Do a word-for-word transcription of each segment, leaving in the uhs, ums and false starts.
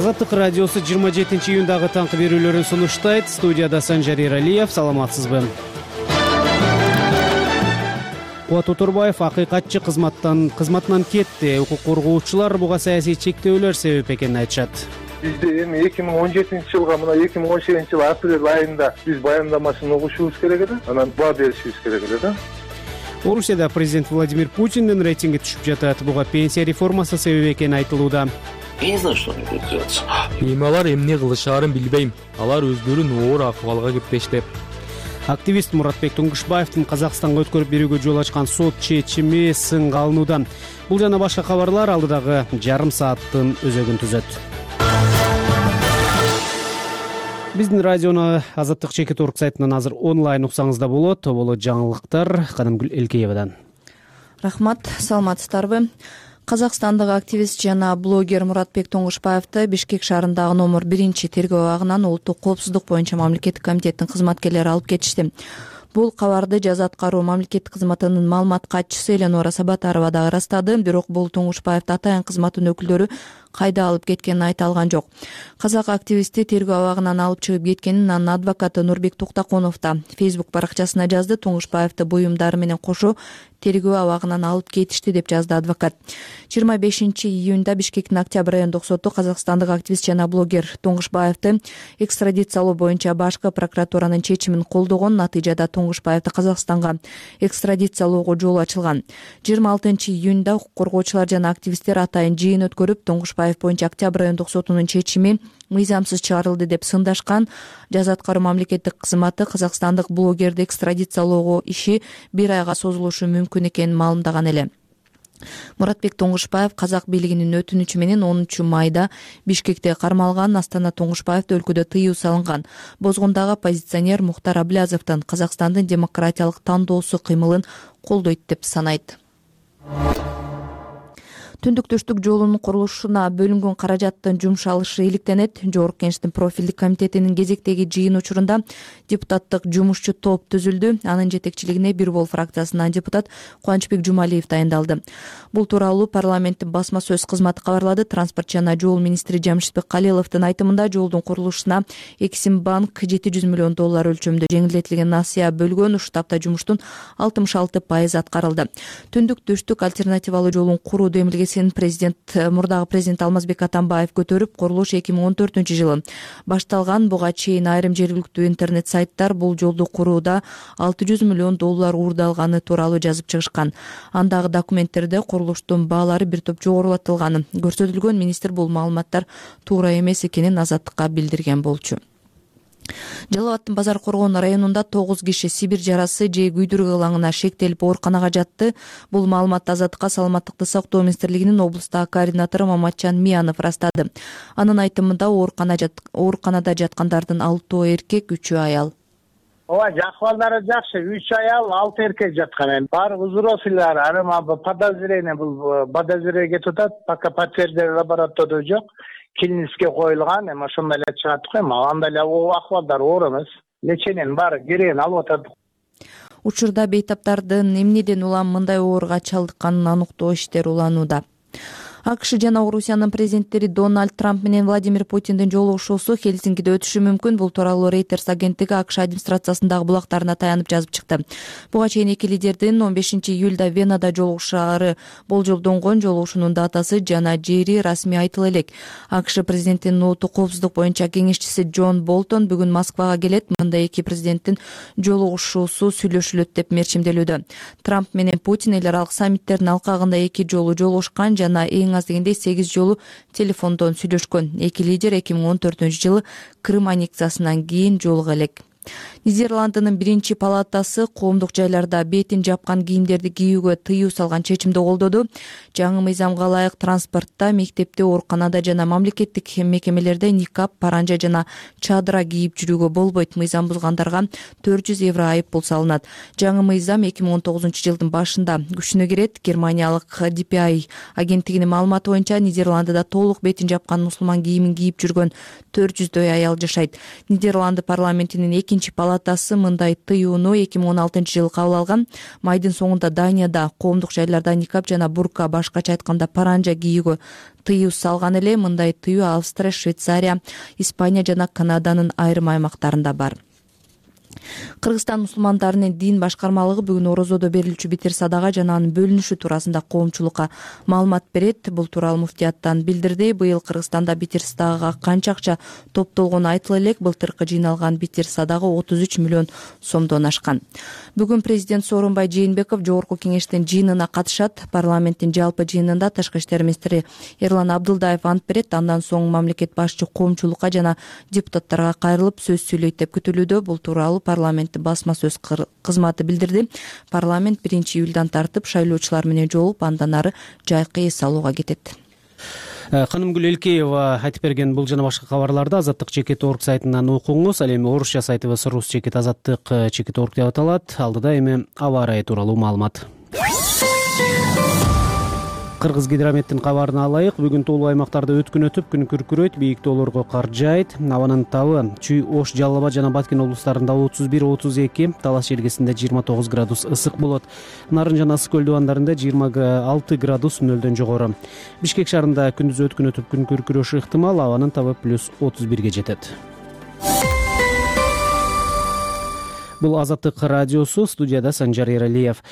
Азаттык радиосу жыйырма жетинчи июндагы таңкы берүүлөрүн сунуштайт. Студияда Санжар Эралиев. Саламатсызбы? Кубат Утурбаев акыйкатчы кызматтан кызматынан кетти. Укук коргоочулар буга саясий чектөөлөр себеп экенин айтышат. Бизде эми эки миң он жетинчи жылга мына эки миң он сегизинчи жылы апрель айында биз баяндамасын угушубуз керек эле, анан баа беришибиз керек эле да. Орусияда президент Владимир Путиндин рейтинги түшүп жатат. Буга пенсия реформасы себеп экени айтылууда. Я не знаю, что они будут делать. Эми алар эмне кылышаарын билбейм. Алар өздөрүн оор акыбалга кептешти. Активист Муратбек Туңгушбаевдин Казакстанга өткөрүп берүүгө жол ачкан сот чечими сынга алынууда. Бул жана башка кабарлар алдыдагы жарым сааттын өзөгүн түзөт. Биздин радиону Азаттык чекит точка орг сайтынан азыр онлайн уксаңыз да болот. Болот жаңылыктар Кадымгүл Элкеевадан. Рахмат, саламатсыздарбы? Казакстандагы активист жана блогер Муратбек Туңгушбаевди Бишкек шаарындагы номер биринчи тергөө абагынан улуттук коопсуздук боюнча мамлекеттик комитеттин кызматкерлери алып кетишти. Бул кабарды жаза аткаруу мамлекеттик кызматынын маалымат катчысы Эленора Сабатарова дагы ырастады. Бирок бул Туңгушбаевди атайын кызматтын өкүлдөрү кайда алып кеткенин айта алган жок. Казак активисти тергөө абагынан алып чыгып кеткенин анын адвокаты Нурбек Туктаконов да Facebook баракчасына жазды. Туңгушбаевди буюмдары менен кошо тергөө абагынан алып кетишти деп жазды адвокат. жыйырма бешинчи июнда Бишкектин Октябрь райондук соту Казакстандык активист жана блогер Туңгушбаевди экстрадициялоо боюнча башкы прокуратуранын чечимин колдогон. Натыйжада Туңгушбаевди Казакстанга экстрадициялоого жол ачылган. жыйырма алтынчы июнда укук коргоочулар жана активисттер атайын жыйын өткөрүп, Туңгушбаев боюнча Октябрь райондук сотунун чечими мыйзамсыз чыгарылды деп сындашкан. Жаза аткаруу мамлекеттик кызматы казакстандык блогерди экстрадициялоого иши бир айга созулушу мүмкүн экенин маалымдаган эле. Муратбек Туңгушбаев казак бийлигинин өтүнүчү менен онунчу майда Бишкекте кармалган. Астана Туңгушбаевди өлкөдө тыюу салынган. Бозгондагы оппозиционер Мухтар Аблязовдун Казакстандын демократиялык тандоосу кыймылын колдойт деп санайт. Түндүк-түштүк жолунун курулушуна бөлүнгөн каражаттын жумшалышы иликтенет. Жогорку Кеңештин профилдик комитетинин кезектеги жыйын учурунда депутаттык жумушчу топ түзүлдү. Анын жетекчилигине Бир Бол фракциясынан депутат Кубанычбек Жумалиев дайындалды. Бул тууралуу парламенттин басма сөз кызматы кабарлады. Транспорт жана жол министри Жамшитбек Калиловдун айтымында жолдун курулушуна Эксимбанк жети жүз миллион доллар өлчөмдө жеңилдетилген насыя бөлгөн. Ушул тапта жумуштун алтымыш алты пайызы аткарылды. Түндүк-түштүк альтернативалуу жолун куруу демилгеси президент мурдагы президент Алмазбек Атамбаев көтөрүп, курулуш эки миң он төртүнчү жылы башталган. Буга чейин айрым жергиликтүү интернет сайттар бул жолду курууда алты жүз миллион доллар уурдалганы тууралуу жазып чыгышкан. Андагы документтерде курулуштун баалары бир топ жогорулатылганы көрсөтүлгөн. Министр бул маалыматтар туура эмес экенин Азаттыкка билдирген болчу. Жалал абаддын Базар Коргон районунда тогуз киши Сибир жарасы же күйдүргү ылаңына шектелип ооруканага жатты. Бул маалыматты Азаттыкка Саламаттыкты сактоо министрлигинин облустагы координатору Маматжан Миянов ырастады. Анын айтымында ооруканада жаткандардын алтоо эркек, үчөө аял. Ооба, акыбалдары жакшы. үч аял, алты эркек жаткан. Баары взрослыйлар, арыма подозрение бул подозрение кетип атат. Пока подтверждение лабораторияда жок. Клиниске коюлган, эми ошондой эле чыгат го. Эми андай эле акыбалдар оор эмес. Лечениянын баары керегин алып атат. Учурда бейтаптардын эмнеден улам мындай ооруга чалдыкканын аныктоо иштери уланууда. АКШ жана Орусиянын президенттери Дональд Трамп менен Владимир Путиндин жолугушуусу Хельсинкиде өтүшү мүмкүн. Бул тууралуу Reuters агенттиги АКШ администрациясындагы булактарына таянып жазып чыкты. Буга чейин эки лидердин он бешинчи июлда Венада жолугушаары болжолдонгон. Жолугушуунун датасы жана жери расмий айтыла элек. АКШ президентинин улуттук коопсуздук боюнча кеңешчиси Джон Болтон бүгүн Москвага келет. Мында эки президенттин жолугушуусу сүйлөшүлөт деп мерчимделүүдө. Трамп менен Путин эл аралык саммиттердин алкагында эки жолу жолугушкан жана эң аз дегенде сегиз жолу телефондон сүйлөшкөн. Эки лидер эки миң он төртүнчү жылы Крым аннексиясынан кийин жолуга элек. Нидерландынын биринчи палатасы коомдук жайларда бетин жапкан кийимдерди кийүүгө тыюу салган чечимди колдоду. Жаңы мыйзамга ылайык транспортто, мектепте, ооруканада жана мамлекеттик мекемелерде никап, паранжа жана чадыра кийип жүрүүгө болбойт. Мыйзам бузгандарга төрт жүз евро айып пул салынат. Жаңы мыйзам эки миң он тогузунчу жылдын башында күчүнө кирет. Германиялык ди пи ай агенттигинин маалыматы боюнча Нидерландыда толук бетин жапкан мусулман кийимин кийип жүргөн төрт жүздөй аял жашайт. Нидерланды парламентинин экинчи палатасы палатасы мындай тыюуну эки миң он алтынчы жылы кабыл алган. Майдын соңунда Данияда коомдук жайларда никап жана бурка, башкача айтканда паранжа кийүүгө тыюу салган эле. Мындай тыюу Австрия, Швейцария, Испания жана Канаданын айрым аймактарында бар. Кыргызстан мусулмандарынын дин башкармалыгы бүгүн орозодо берилүүчү битир садага жана анын бөлүнүшү туурасында коомчулукка маалымат берет. Бул тууралуу муфтияттан билдирди. Быйыл Кыргызстанда битир садагага канча акча топтолгону айтыла элек. Былтыркы жыйналган битир садага отуз үч миллион сомдон ашкан. Бүгүн президент Сооронбай Жээнбеков жогорку кеңештин жыйынына катышат. Парламенттин жалпы жыйынында тышкы иштер министри Эрлан Абдылдаев ант берет. Андан соң мамлекет башчы коомчулукка жана депутаттарга кайрылып сөз сүйлөйт деп күтүлүүдө. Бул тууралуу парламенттин басма сөз кызматы билдирди. Парламент биринчи июлдан тартып шайлоочулар менен жолугуп, андан ары жайкы эс алууга кетет. Канымгүл Элкеева айтып берген бул жана башка кабарларды Азаттык чекит орг сайтынан окуңуз. Ал эми орусча сайтыбыз рус чекит азаттык чекит орг деп аталат. Алдыда эми аба ырайы тууралуу маалымат. Кыргыз гидрометтин кабарын алайык. Бүгүн тоолуу аймактарда өткүн өтүп, күн күркүрөйт, бийик тоолорго кар жаайт. Абанын табы Чүй, Ош, Жалал Абад жана Баткен облустарында отуз бир отуз эки, Талас желгесинде жыйырма тогуз градус ысык болот. Нарын жана Ысык көл дубандарында жыйырма алты градус нөлдөн жогору. Бишкек шаарында күндүз өткүн өтүп, күн күркүрөшү ыктымал. Абанын табы плюс отуз бирге жетет. Бул Азаттык радиосу, студияда Санжар Эралиев.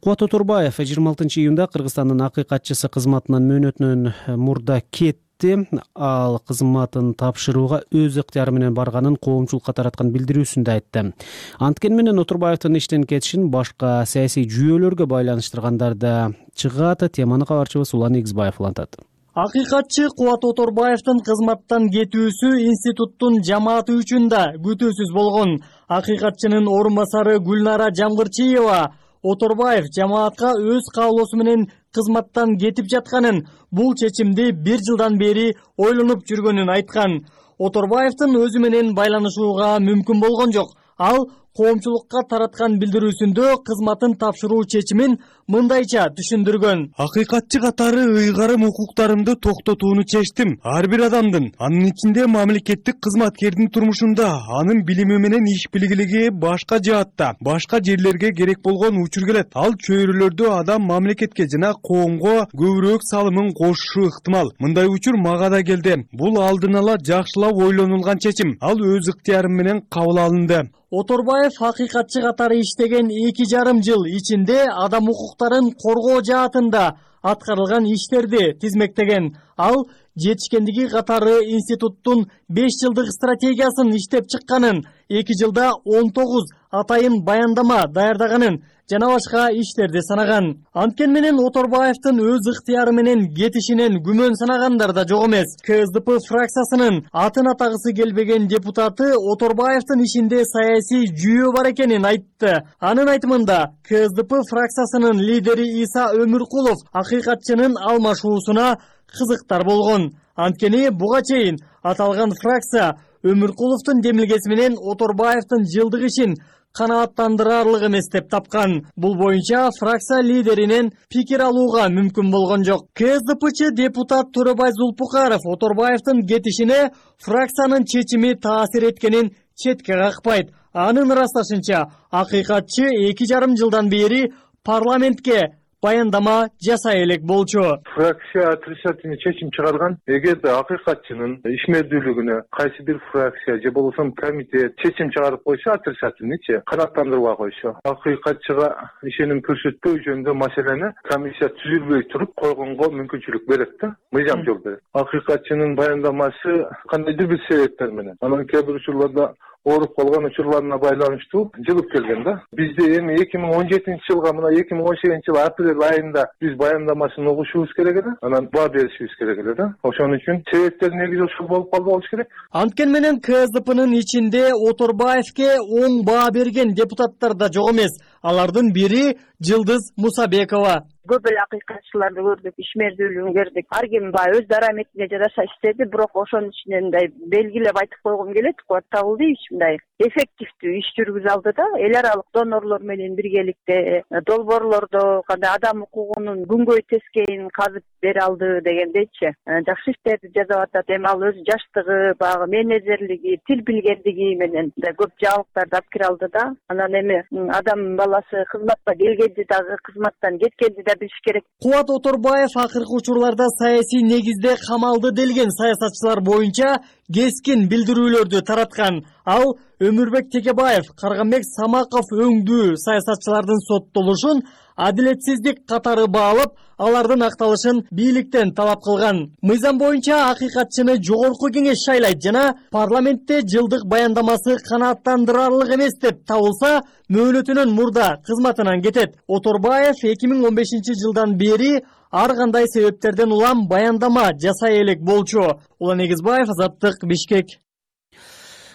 Кубат Оторбаев жыйырма алтынчы июнда Кыргызстандын акыйкатчысы кызматынан мөөнөтүнөн мурда кетти. Ал кызматын тапшырууга өз ыктыяры менен барганын коомчулукка тараткан билдирүүсүндө айтты. Анткени менен Оторбаевдин иштен кетишин башка саясий жүйөлөргө байланыштыргандар да чыгат. Теманы кабарчыбыз Улан Игизбаев улантат. Акыйкатчы Кубат Оторбаевдин кызматтан кетүүсү институттун жамааты үчүн да күтүүсүз болгон. Акыйкатчынын орун басары Гүлнара Жамгырчиева Оторбаев жамаатка өз каалоосу менен кызматтан кетип жатканын, бул чечимди бир жылдан бери ойлонуп жүргөнүн айткан. Оторбаевдин өзү менен байланышууга мүмкүн болгон жок. Ал коомчулукка тараткан билдирүүсүндө кызматын тапшыруу чечимин мындайча түшүндүргөн. Акыйкатчы катары ыйгарым укуктарымды токтотууну чечтим. Ар бир адамдын, анын ичинде мамлекеттик кызматкердин турмушунда анын билими менен иш билгилиги башка жаатта, башка жерлерге керек болгон учур келет. Ал чөйрөлөрдө адам мамлекетке жана коомго көбүрөөк салымын кошушу ыктымал. Мындай учур мага да келди. Бул алдын ала жакшылап ойлонулган чечим. Ал өз ыктыяры менен кабыл алынды. Оторбаев акыйкатчы катары иштеген эки жарым жыл ичинде адам укуктарын коргоо жаатында аткарылган иштерди тизмектеген. Ал жетишкендиги катары институттун беш жылдык стратегиясын иштеп чыкканын, эки жылда он тогуз атайын баяндама даярдаганын жана башка иштерди санаган. Анткени менен Оторбаевдин өз ыктыяры менен кетишинен күмөн санагандар да жок эмес. КСДП фракциясынын атын атагысы келбеген депутаты Оторбаевдин ишинде саясий жүйө бар экенин айтты. Анын айтымында КСДП фракциясынын лидери Иса Өмүркулов акыйкатчынын алмашуусуна кызыктар болгон. Анткени буга чейин аталган фракция Өмүркуловдун демилгеси менен Оторбаевдин жылдык ишин канааттандырарлык эмес деп тапкан. Бул боюнча фракция лидеринен пикир алууга мүмкүн болгон жок. КСДПчы депутат Төрөбай Зулпукаров Оторбаевдин кетишине фракциянын чечими таасир эткенин четке какпайт. Анын ырасташынча, акыйкатчы эки жарым жылдан бери парламентке баяндама жасай элек болчу. Фракция отрицательный чечим чыгарган. Эгерде акыйкатчынын ишмердүүлүгүнө кайсы бир фракция же болбосо комитет чечим чыгарып койсо, отрицательныйчы канааттандырбай койсо, акыйкатчыга ишеним көрсөтпөө жөнүндө маселени комиссия түзүлбөй туруп койгонго мүмкүнчүлүк берет да, мыйзам жол берет. Акыйкатчынын баяндамасы кандайдыр бир себептер менен, анан кээ бир учурларда ооруп калган учурларына байланыштуу жылып келген да. Бизде эми эки миң он жетинчи жылга мына эки миң он сегизинчи жылы апрель айында биз баяндамасын угушубуз керек эле, анан баа беришибиз керек эле да. Ошон үчүн себептер негизи ушул болуп калды болуш керек. Анткени менен КСДПнын ичинде Оторбаевке оң баа берген депутаттар да жок эмес. Алардын бири Жылдыз Мусабекова. көп эле акыйкатчыларды көрдүк, ишмердүүлүгүн көрдүк. Ар ким баягы өз дараметине жараша иштеди, бирок ошонун ичинен мындай белгилеп айтып койгум келет. Кубат Табылдиевич мындай эффективдүү иш жүргүзүп алды да, эл аралык донорлор менен биргеликте долбоорлордо кандай адам укугунун күнгөй тескейин казып бере алды дегендейчи. Жакшы иштерди жасап атат. Эми ал өзү жаштыгы, баягы менеджерлиги, тил билгендиги менен көп жаңылыктарды алып кире алды да. Анан эми адам баласы кызматка келгенди дагы, кызматтан кеткенди да билиш керек. Кубат Оторбаев акыркы учурларда саясий негизде камалды делген саясатчылар боюнча кескин билдирүүлөрдү тараткан. Ал Өмүрбек Текебаев, Карганбек Самаков өңдүү саясатчылардын соттолушун адилетсиздик катары баалап, алардын акталышын бийликтен талап кылган. Мыйзам боюнча акыйкатчыны жогорку кеңеш шайлайт жана парламентте жылдык баяндамасы канааттандырарлык эмес деп табылса, мөөнөтүнөн мурда кызматынан кетет. Оторбаев эки миң он бешинчи жылдан бери ар кандай себептерден улам баяндама жасай элек болчу. Улан Эгизбаев, Азаттык, Бишкек.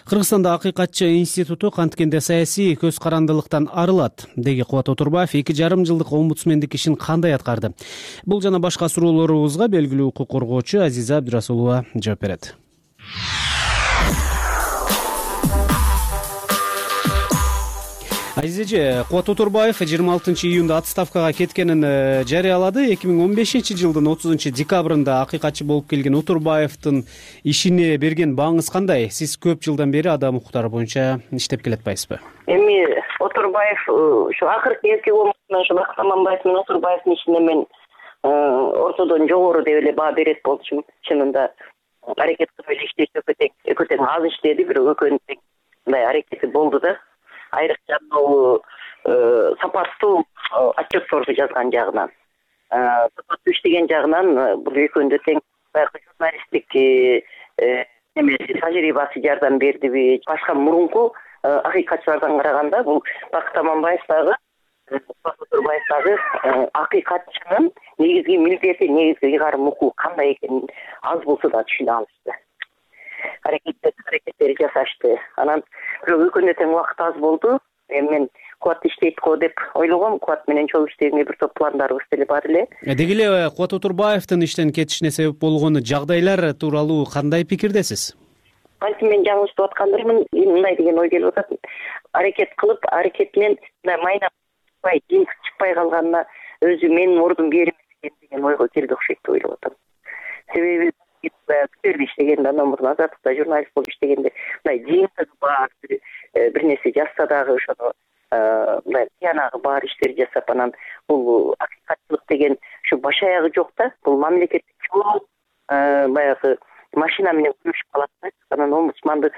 Кыргызстанда акыйкатчы институту канткенде саясий көз карандылыктан арылат, деги Кубат Оторбаев эки жарым жылдык омбудсмендик ишин кандай аткарды? Бул жана башка суроолорубузга белгилүү укук коргоочу Азиза Абдырасулова жооп берет. Азизеже, Кубат Оторбаев жыйырма алтынчы июнда отставкага кеткенин жарыялады. эки миң он бешинчи жылдын отузунчу декабрында акыйкатчы болуп келген Оторбаевдин ишине берген бааңыз кандай? Сиз көп жылдан бери адам укуктары боюнча иштеп келатпайсызбы? Эми Оторбаев ушу акыркы эки омбудсмен ушу Бакыт Аманбаев менен Оторбаевдин ишине мен ортодон жогору деп эле баа берет болчумун. Чынында аракет кылып эле иштешти, өтө тең аз иштеди, бирок экөөнүн тең мындай аракети болду да. Айрыкча бул сапаттуу отчетторду жазган жагынан, сапаттуу иштеген жагынан бул экөөндө тең баягы журналисттик немеси тажрыйбасы жардам бердиби? Башка мурунку акыйкатчылардан караганда бул Бакыт Аманбаев дагы, Оторбаев дагы акыйкатчынын негизги милдети, негизги ыйгарым укугу кандай экенин аз болсо да түшүнө алышты. Аракеттери жасашты. Анан бирок экөөндө тең убакыт аз болду. Эми мен Кубат иштейт го деп ойлогом. Кубат менен чогуу иштегенге бир топ пландарыбыз деле бар эле. Деги эле Кубат Оторбаевдин иштен кетишине себеп болгон жагдайлар тууралуу кандай пикирдесиз? Антип мен жаңылышып аткандырмын, мындай деген ой келип атат. Аракет кылып, аракетинен мындай майнап чыкпай, жин чыкпай калганына өзү менин ордум берим экен деген ойго келди окшойт деп ойлоп атам. Себеби Птерде иштегенде, андан мурун Азаттыкта журналист болуп иштегенде мындай жыйынтыгы бар, бир нерсе жазса дагы ошону мындай тиянагы бар иштерди жасап, анан бул акыйкатчылык деген ушу баш аягы жок да, бул мамлекеттик чоң баягы машина менен күрөшүп калат да. Анан омбудсманды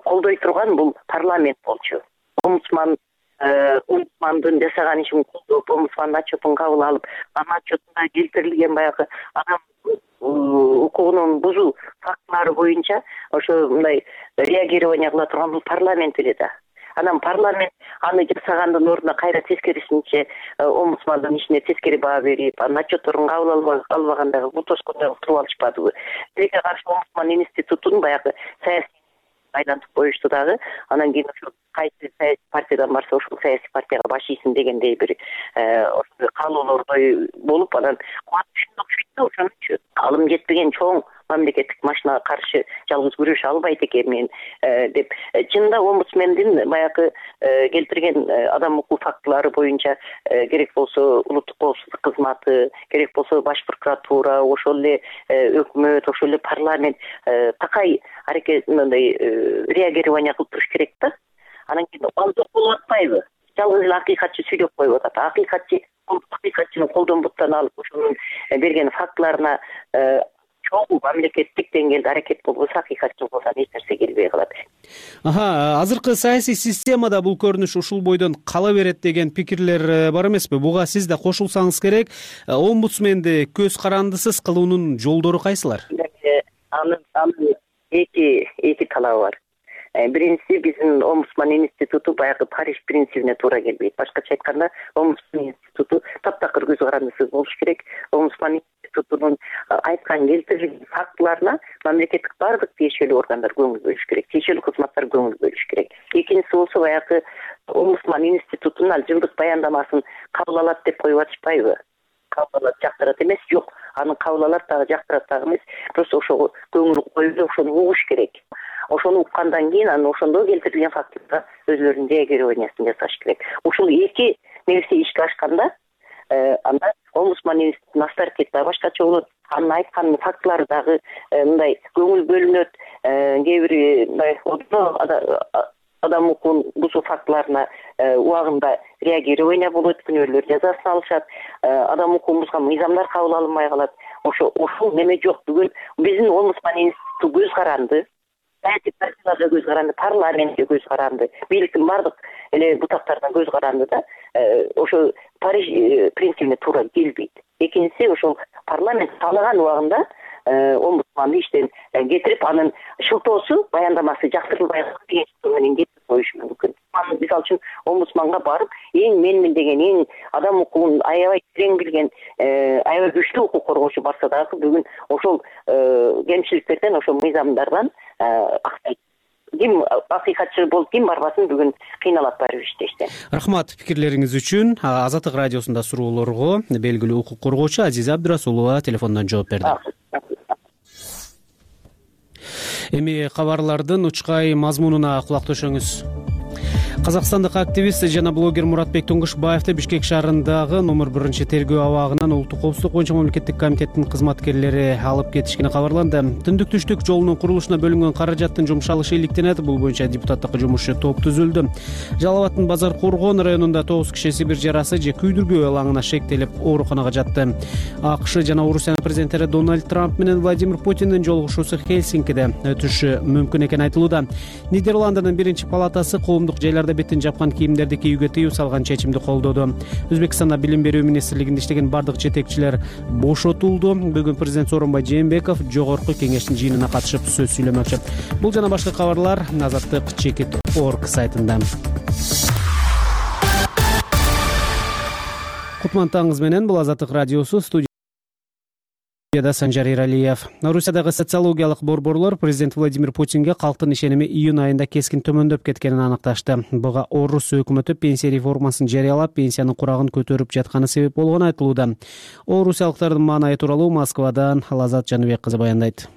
колдой турган бул парламент болчу. Омбудсман омбудсмандын жасаган ишин колдоп, омбудсмандын отчетун кабыл алып, анын отчетунда келтирилген баягы адам укугунун бузуу фактылары боюнча ошо мындай реагирование кыла турган бул парламент эле да. Анан парламент аны жасагандын ордуна кайра тескерисинче омбудсмандын ишине тескери баа берип, анын отчетторун кабыл албагандагы бутоскондой туруп алышпадыбы? Тилекке каршы омбудсман институтун баягы саясий айлантып коюшту дагы. Анан кийин ошо кайсы саясий партиядан барса ошол саясий партияга баш ийсин дегендей бир ошондой каалоолордой болуп, анан Кубат түшүндү окшойт да, ошонучу алым жетпеген чоң мамлекеттик машинага каршы жалгыз күрөшө албайт экенмин деп. Чынында омбудсмендин баягы келтирген адам укугу фактылары боюнча керек болсо улуттук коопсуздук кызматы, керек болсо баш прокуратура, ошол эле өкмөт, ошол эле парламент такай аракет мындай реагирование кылып туруш керек да. Анан кийин антоп болуп атпайбы? Жалгыз эле акыйкатчы сүйлөп коюп атат. Акыйкатчы акыйкатчыны колдон буттан алып ошонун берген фактыларына чоң мамлекеттик деңгээлде аракет болбосо, акыйкатчылыгынан эч нерсе келбей калат. Аха, азыркы саясий системада бул көрүнүш ушул бойдон кала берет деген пикирлер бар эмеспи? Буга сиз да кошулсаңыз керек. Омбудсменди көз карандысыз кылуунун жолдору кайсылар? Анын анын эки эки талабы бар. Биринчиси, биздин омбудсман институту баягы Париж принцибине туура келбейт. Башкача айтканда, омбудсман институту таптакыр көз карандысыз болуш керек. Омбудсман институтунун айткан келтирилген фактыларына мамлекеттик бардык тиешелүү органдар көңүл бөлүш керек, тиешелүү кызматтар көңүл бөлүш керек. Экинчиси болсо баягы омбудсман институтунун ал жылдык баяндамасын кабыл алат деп коюп атышпайбы? кабыл алат жактырат эмес, жок. Аны кабыл алат дагы жактырат дагы эмес. Просто ошого көңүл коюп ошону угуш керек. Ошону уккандан кийин анан ошондо келтирилген фактыларга өзүлөрүнүн реагированиясын жасаш керек. Ушул эки нерсе ишке ашканда анда омбудсман институтунун авторитети дагы башкача болот. Анын айткан фактылары дагы мындай көңүл бөлүнөт. Кээ бир мындай адам укугун бузуу фактыларына убагында реагирование болот, күнөөлөр жазасын алышат, адам укугун бузган мыйзамдар кабыл алынбай калат. Ошо ошол неме жок. Бүгүн биздин омбудсман институту көз каранды. Саясий партияларга көз каранды, парламентке көз каранды, бийликтин бардык эле бутактарына көз каранды да, ошо Париж принцибине туура келбейт. Экинчиси ошол парламент каалаган убагында омбудсманды иштен кетирип, анын шылтоосу, баяндамасы жактырылбай деген менен кетирип коюш мүмкүн. Мисалы үчүн омбудсманга барып, эң менмин деген, эң адам укугун аябай терең билген, аябай күчтүү укук коргоочу барса дагы бүгүн ошол кемчиликтерден, ошол мыйзамдардан аксайт. Ким акыйкатчы болуп ким барбасын бүгүн кыйналат баары бир иштештен. Рахмат пикирлериңиз үчүн. Азаттык радиосунда суроолорго белгилүү укук коргоочу Азиза Абдырасулова телефондон жооп берди. Эми кабарлардын учкай мазмунуна кулак төшөңүз. Казакстандык активист жана блогер Муратбек Тоңгушбаевди Бишкек шаарындагы номер биринчи тергөө абагынан Улуттук коопсуздук боюнча мамлекеттик комитеттин кызматкерлери алып кетишкени кабарланды. Түндүк түштүк жолунун курулушуна бөлүнгөн каражаттын жумшалышы иликтенет. Бул боюнча депутаттык жумушчу топ түзүлдү. Жалал Абаддын Базар Коргон районунда тогуз киши сибир жарасы же күйдүргү алаңына шектелип ооруканага жатты. АКШ жана Орусиянын президенттери Дональд Трамп менен Владимир Путиндин жолугушуусу Хельсинкиде өтүшү мүмкүн экени айтылууда. Нидерландынын биринчи палатасы коомдук жайларда бетин жапкан кийимдерди кийүүгө тыюу салган чечимди колдоду. Өзбекстанда билим берүү министрлигинде иштеген бардык жетекчилер бошотулду. Бүгүн президент Сооронбай Жээнбеков жогорку кеңештин жыйынына катышып сөз сүйлөмөкчү. Бул жана башка кабарлар азаттык чекит точка орг сайтында. Кутман менен бул Азаттык радиосу, студия Санжар Иралиев. Орусиядагы социологиялык борборлор президент Владимир Путинге калктын ишеними июнь айында кескин төмөндөп кеткенин аныкташты. Буга Орус өкмөтү пенсия реформасын жарыялап, пенсиянын курагын көтөрүп жатканы себеп болгону айтылууда. Орусиялыктардын маанайы тууралуу Москвадан Лазат Жаныбек кызы баяндайт.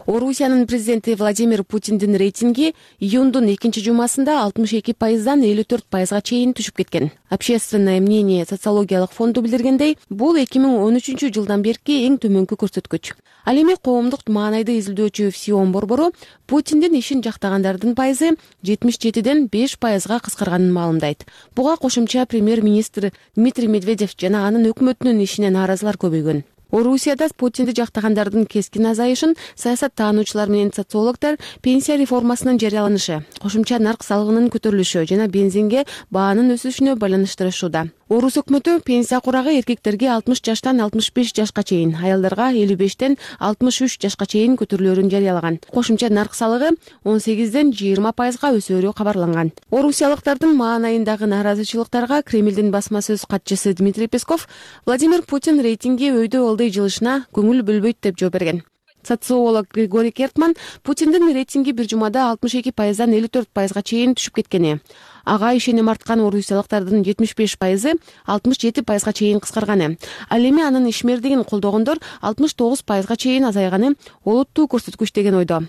Орусиянын президенти Владимир Путиндин рейтинги июндун экинчи жумасында алтымыш эки пайыздан элүү төрт пайызга чейин түшүп кеткен. Общественное мнение социологиялык фонду билдиргендей, бул эки миң он үчүнчү жылдан берки эң төмөнкү көрсөткүч. Ал эми коомдук маанайды изилдөөчү ФСИОН борбору Путиндин ишин жактагандардын пайызы жетимиш жетиден беш пайызга кыскарганын маалымдайт. Буга кошумча премьер-министр Дмитрий Медведев жана анын өкмөтүнүн ишине нааразылар көбөйгөн. Орусияда Путинди жактагандардын кескин азайышын саясаттануучулар менен социологдор пенсия реформасынын жарыяланышы, кошумча нарк салыгынын көтөрүлүшү жана бензинге баанын өсүшүнө байланыштырышууда. Орус өкмөтү пенсия курагы эркектерге алтымыш жаштан алтымыш беш жашка чейин, аялдарга элүү бештен алтымыш үч жашка чейин көтөрүлөрүн жарыялаган. Кошумча нарк салыгы он сегизден жыйырма пайызга өсөөрү кабарланган. Орусиялыктардын маанайындагы нааразычылыктарга Кремлдин басма сөз катчысы Дмитрий Песков Владимир Путин рейтинги өйдө алды жылышына көңүл бөлбөйт деп жооп берген. Социолог Григорий Кертман Путиндин рейтинги бир жумада алтымыш эки пайыздан элүү төрт пайызга чейин түшүп кеткени, ага ишеним арткан орусиялыктардын жетимиш беш пайызы алтымыш жети пайызга чейин кыскарганы, ал эми анын ишмердигин колдогондор алтымыш тогуз пайызга чейин азайганы олуттуу көрсөткүч деген ойдо.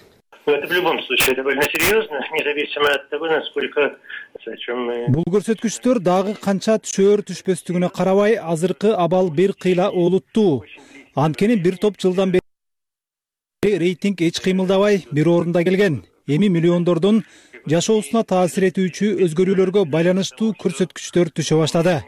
Это в любом случае довольно серьезно, независимо от того, насколько бул көрсөткүчтөр дагы канча түшөр түшпөстүгүнө карабай азыркы абал бир кыйла олуттуу. Анткени бир топ жылдан бери рейтинг эч кыймылдабай бир орунда келген. Эми миллиондордун жашоосуна таасир этүүчү өзгөрүүлөргө байланыштуу көрсөткүчтөр түшө баштады.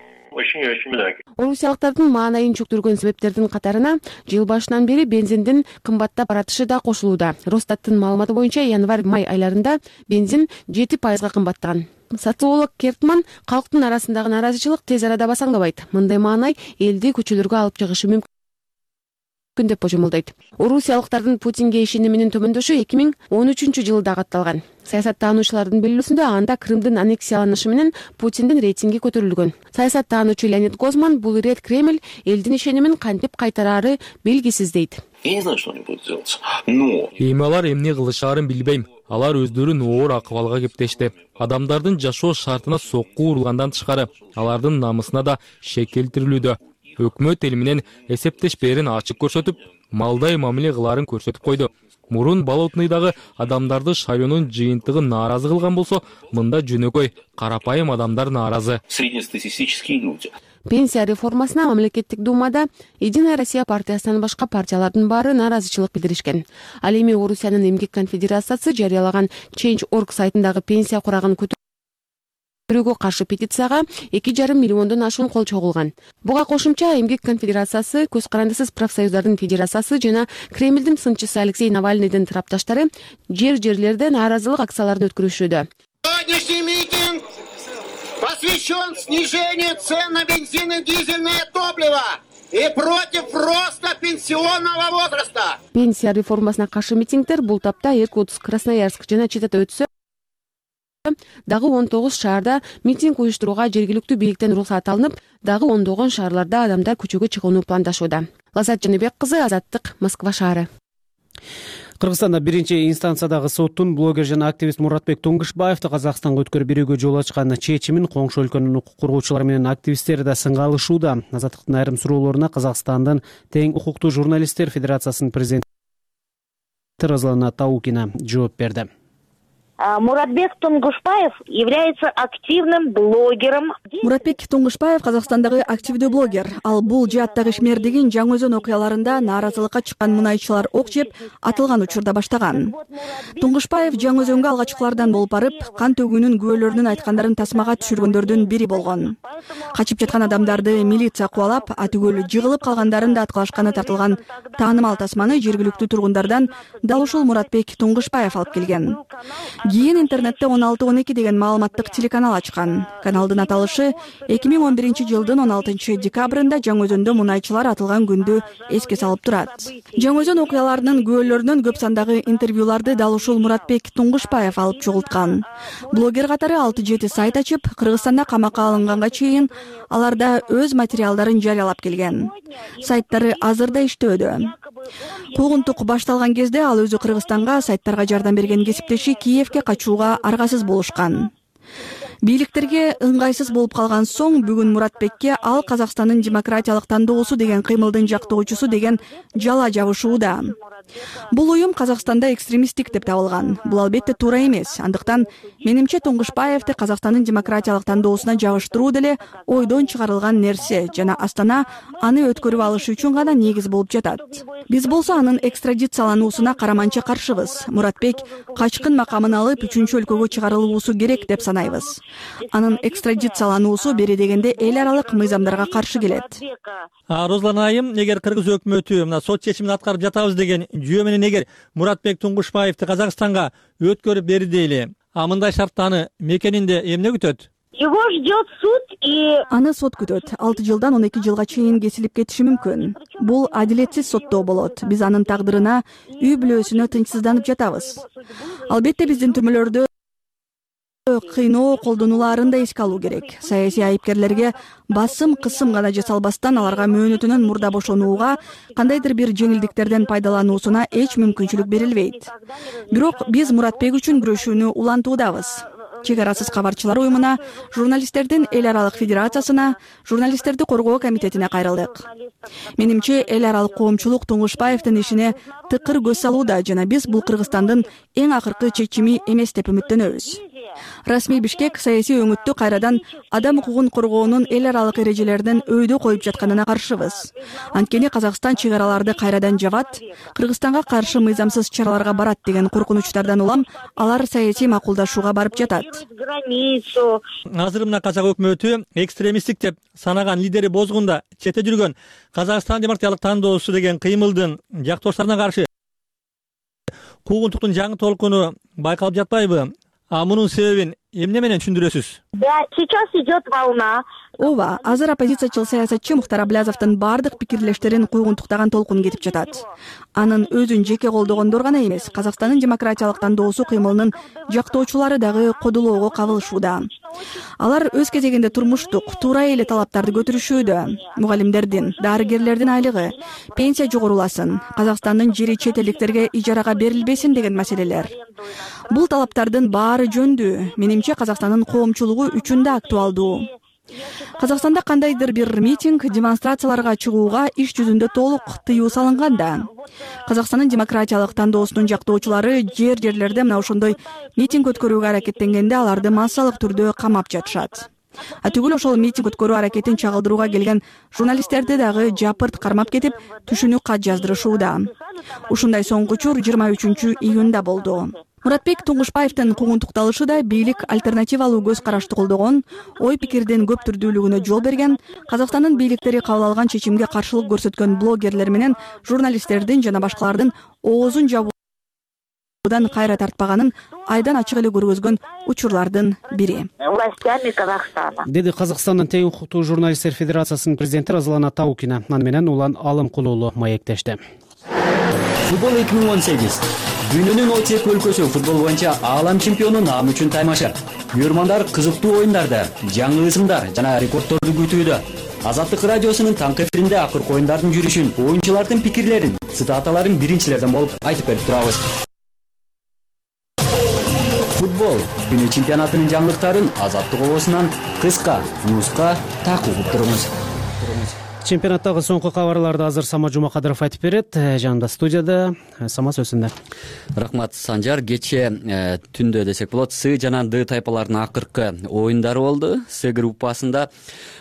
Орусиялыктардын маанайын чөктүргөн себептердин катарына жыл башынан бери бензиндин кымбаттап баратышы да кошулууда. Росстаттын маалыматы боюнча январь-май айларында бензин жети пайызга кымбаттаган. Социолог Кертман калктын арасындагы нааразычылык тез арада басаңдабайт. Мындай маанай элди көчөлөргө алып чыгышы мүмкүн деп божомолдойт. Орусиялыктардын Путинге ишениминин төмөндөшү эки миң он үчүнчү жылда катталган. Саясаттануучулардын билүүсүндө анда Крымдын аннексияланышы менен Путиндин рейтинги көтөрүлгөн. Саясаттануучу Леонид Гозман бул ирет Кремль элдин ишенимин кантип кайтараары белгисиз дейт. Я не знаю, что они будут делать, но эми алар эмне кылышаарын билбейм. Алар өздөрүн оор акыбалга кептешти. Адамдардын жашоо шартына сокку урулгандан тышкары, алардын намысына да шек келтирилүүдө. өкмөт эл менен эсептешпээрин ачык көрсөтүп, малдай мамиле кылаарын көрсөтүп койду. Мурун Болотныйдагы адамдарды шайлоонун жыйынтыгы нааразы кылган болсо, мында жөнөкөй, карапайым адамдар нааразы. Среднестатистические люди. Пенсия реформасына мамлекеттик думада Единая Россия партиясынан башка партиялардын баары нааразычылык билдиришкен. Ал эми Орусиянын эмгек конфедерациясы жарыялаган Change точка org сайтындагы пенсия курагын көтөрүүгө каршы петицияга эки жарым миллиондон ашуун кол чогулган. Буга кошумча эмгек конфедерациясы, Көз карандысыз профсоюздардын федерациясы жана Кремлдин сынчысы Алексей Навальныйдын тарапташтары жер-жерлерде нааразылык акцияларын өткөрүшүүдө. Сегодняшний митинг посвящен снижению цен на бензин и дизельное топливо и против роста пенсионного возраста. Пенсия реформасына каршы митингдер бул тапта Иркутск, Красноярск жана Читада өтсө, дагы он тогуз шаарда митинг уюштурууга жергиликтүү бийликтен уруксат алынып, дагы ондогон шаарларда адамдар көчөгө чыгууну пландашууда. Лазат Жаныбек кызы, Азаттык, Москва шаары. Кыргызстанда биринчи инстанциядагы соттун блогер жана активист Муратбек Туңгушбаевди Казакстанга өткөрүп берүүгө жол ачкан чечимин коңшу өлкөнүн укук коргоочулары менен активисттери да сынга алышууда. Азаттыктын айрым суроолоруна Казакстандын Тең укуктуу журналисттер федерациясынын президенти Розлана Таукина жооп берди. Муратбек Туңгушбаев является активным блогером. Муратбек Туңгушбаев Казакстандагы активдүү блогер. Ал бул жааттагы Ишмердигин Жаңы Өзөн окуяларында нааразылыкка чыккан мунайчылар ок жеп атылган учурда баштаган. Туңгушбаев Жаңы Өзөнгө алгачкылардан болуп барып, кан төгүүнүн күбөлөрүнүн айткандарын тасмага түшүргөндөрдүн бири болгон. Качып жаткан адамдарды милиция кубалап, атүгөл жыгылып калгандарын да аткылашканы тартылган таанымал тасманы жергиликтүү тургундардан дал ушул Муратбек Туңгушбаев алып келген. Кийин интернетте он алты он эки деген маалыматтык телеканал ачкан. Каналдын аталышы эки миң он биринчи жылдын он алтынчы декабрында Жаңы Өзөндө мунайчылар атылган күндү эске салып турат. Жаңы Өзөн окуяларынын күбөлөрүнөн көп сандагы интервьюларды дал ушул Муратбек Туңгушбаев алып чогулткан. Блогер катары алты жети сайт ачып, Кыргызстанда камакка алынганга чейин аларда өз материалдарын жарыялап келген. Сайттары азырда иштөөдө. Куугунтук башталган кезде ал өзү Кыргызстанга сайттарга жардам берген кесиптеши Киевке качууга аргасыз болушкан. Бийликтерге ыңгайсыз болуп калган соң бүгүн Муратбекке ал Казакстандын демократиялык тандоосу деген кыймылдын жактоочусу деген жала жабышууда. Бул уюм Казакстанда экстремисттик деп табылган. Бул албетте туура эмес. Андыктан менимче Туңгушбаевди Казакстандын демократиялык тандоосуна жабыштыруу деле ойдон чыгарылган нерсе жана Астана аны өткөрүп алышы үчүн гана негиз болуп жатат. Биз болсо анын экстрадициялануусуна караманча каршыбыз. Муратбек качкын макамын алып үчүнчү өлкөгө чыгарылуусу керек деп санайбыз. Анын экстрадициялануусу бери дегенде эл аралык мыйзамдарга каршы келет. Розлана айым, эгер кыргыз өкмөтү мына сот чечимин аткарып жатабыз деген жүйө менен эгер Муратбек Туңгушбаевди Казакстанга өткөрүп берди дейли, а мындай шартта аны мекенинде эмне күтөт? Его ждет суд и... Аны сот күтөт. алты жылдан он эки жылга чейин кесилип кетиши мүмкүн. Бул адилетсиз соттоо болот. Биз анын тагдырына үй бүлөсүнө тынчсызданып жатабыз. Албетте биздин түрмөлөрдө кыйноо колдонуларын да эске алуу керек. Саясий айыпкерлерге басым кысым гана жасалбастан аларга мөөнөтүнөн мурда бошонууга, кандайдыр бир жеңилдиктерден пайдалануусуна эч мүмкүнчүлүк берилбейт. Бирок биз Муратбек үчүн күрөшүүнү улантуудабыз. Чек арасыз кабарчылар уюмуна, журналисттердин эл аралык федерациясына, журналисттерди коргоо комитетине кайрылдык. Менимче эл аралык коомчулук Туңгушбаевдин ишине тыкыр көз салууда жана биз бул Кыргызстандын эң акыркы чечими эмес деп үмүттөнөбүз. Расмий Бишкек саясий өңүттү кайрадан адам укугун коргоонун эл аралык эрежелеринин өйдө коюп жатканына каршыбыз. Анткени Казакстан чек араларды кайрадан жабат, Кыргызстанга каршы мыйзамсыз чараларга барат деген коркунучтардан улам алар саясий макулдашууга барып жатат. Азыр мына казак өкмөтү экстремисттик деп санаган лидери бозгунда четте жүргөн Казакстан демократиялык тандоосу деген кыймылдын жактоочуларына каршы куугунтуктун жаңы толкуну байкалып жатпайбы? А мунун себебин эмне менен түшүндүрөсүз? Да, сейчас идет волна. Ооба, азыр оппозициячыл саясатчы Мухтар Аблязовдун бардык пикирлештерин куугунтуктаган толкун кетип жатат. Анын өзүн жеке колдогондор гана эмес, Казакстандын демократиялык тандоосу кыймылынын жактоочулары дагы кодулоого кабылышууда. Алар өз кезегинде турмуштук, туура эле талаптарды көтөрүшүүдө. Мугалимдердин, дарыгерлердин айлыгы, пенсия жогоруласын, Казакстандын жери чет элдиктерге ижарага берилбесин деген маселелер. Бул талаптардын баары жөндүү. Менимче Казакстандын коомчулугу үчүн да актуалдуу. Казакстанда кандайдыр бир митинг, демонстрацияларга чыгууга иш жүзүндө толук тыюу салынган да. Казакстандын демократиялык тандоосунун жактоочулары жер жерлерде мына ошондой митинг өткөрүүгө аракеттенгенде аларды массалык түрдө камап жатышат. А түгүл ошол митинг өткөрүү аракетин чагылдырууга келген журналисттерди дагы жапырт кармап кетип, түшүнүү кат жаздырышууда. Ушундай соңку учур жыйырма үчүнчү июнда болду. Муратбек Туңгушпаевдин куугунтукталышы да бийлик альтернативалуу көз карашты колдогон, ой пикирдин көп түрдүүлүгүнө жол берген, Казакстандын бийликтери кабыл алган чечимге каршылык көрсөткөн блогерлер менен журналисттердин жана башкалардын оозун жабуудан кайра тартпаганын айдан ачык эле көргөзгөн учурлардын бири. Властями Казахстана. Деди Казакстандын тең укуктуу журналисттер федерациясынын президенти Разылана Таукина. Аны менен Улан Алымкулуулу маектешти. Футбол эки миң он сегиз. Дүйнөнүн отуз эки өлкөсү футбол боюнча аалам чемпиону наамы үчүн таймаша. Күйөрмандар кызыктуу оюндарда, жаңы ысымдар жана рекорддорду күтүүдө. Азаттык радиосунун таңкы эфиринде акыркы оюндардын жүрүшүн, оюнчулардын пикирлерин, цитаталарын биринчилерден болуп айтып берип турабыз. Футбол күнү чемпионатынын жаңылыктарын Азаттык обосунан кыска, нуска так угуп туруңуз. Чемпионаттагы соңку кабарларды азыр Сама Жумакадыров айтып берет. Жанында студияда Сама сөзүндө. Рахмат Санжар. Кече түндө десек болот, С жана Д тайпаларынын акыркы оюндары болду. С группасында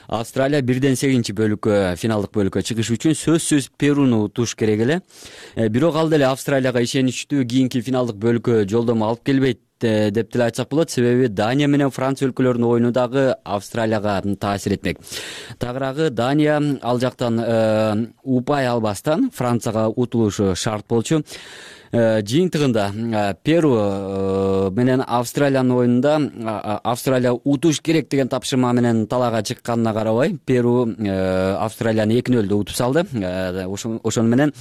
Австралия бирден сегизинчи бөлүккө, финалдык бөлүккө чыгыш үчүн сөзсүз Перуну утуш керек эле. Бирок ал деле Австралияга ишеничтүү кийинки финалдык бөлүккө жолдомо алып келбейт деп деле айтсак болот. Себеби Дания менен Франция өлкөлөрүнүн оюну дагы Австралияга таасир этмек. Тагыраагы Дания ал жактан упай албастан Францияга утулушу шарт болчу. Жыйынтыгында Перу менен Австралиянын оюнунда Австралия утуш керек деген тапшырма менен талаага чыкканына карабай, Перу Австралияны эки нөлдө утуп салды. Ошону менен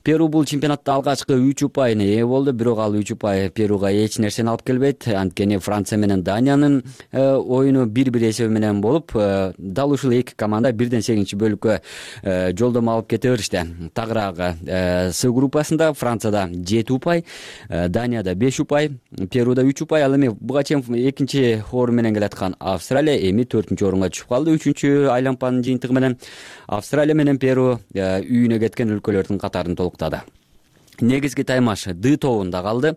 Перу бул чемпионатта алгачкы үч упайына ээ болду, бирок ал үч упай Перуга эч нерсени алып келбейт. Анткени Франция менен Даниянын оюну бир-бир эсеби менен болуп, дал ушул эки команда бирден сегизинчи бөлүккө жолдомо алып кете беришти. Тагыраагы С группасында Францияда жети упай, Данияда беш упай, Перуда үч упай. Ал эми буга чейин экинчи орун менен келаткан Австралия эми төртүнчү орунга түшүп калды. Үчүнчү айлампанын жыйынтыгы менен Австралия менен Перу үйүнө кеткен өлкөлөрдүн катарын толуктады. Негизги таймаш Д тобунда калды.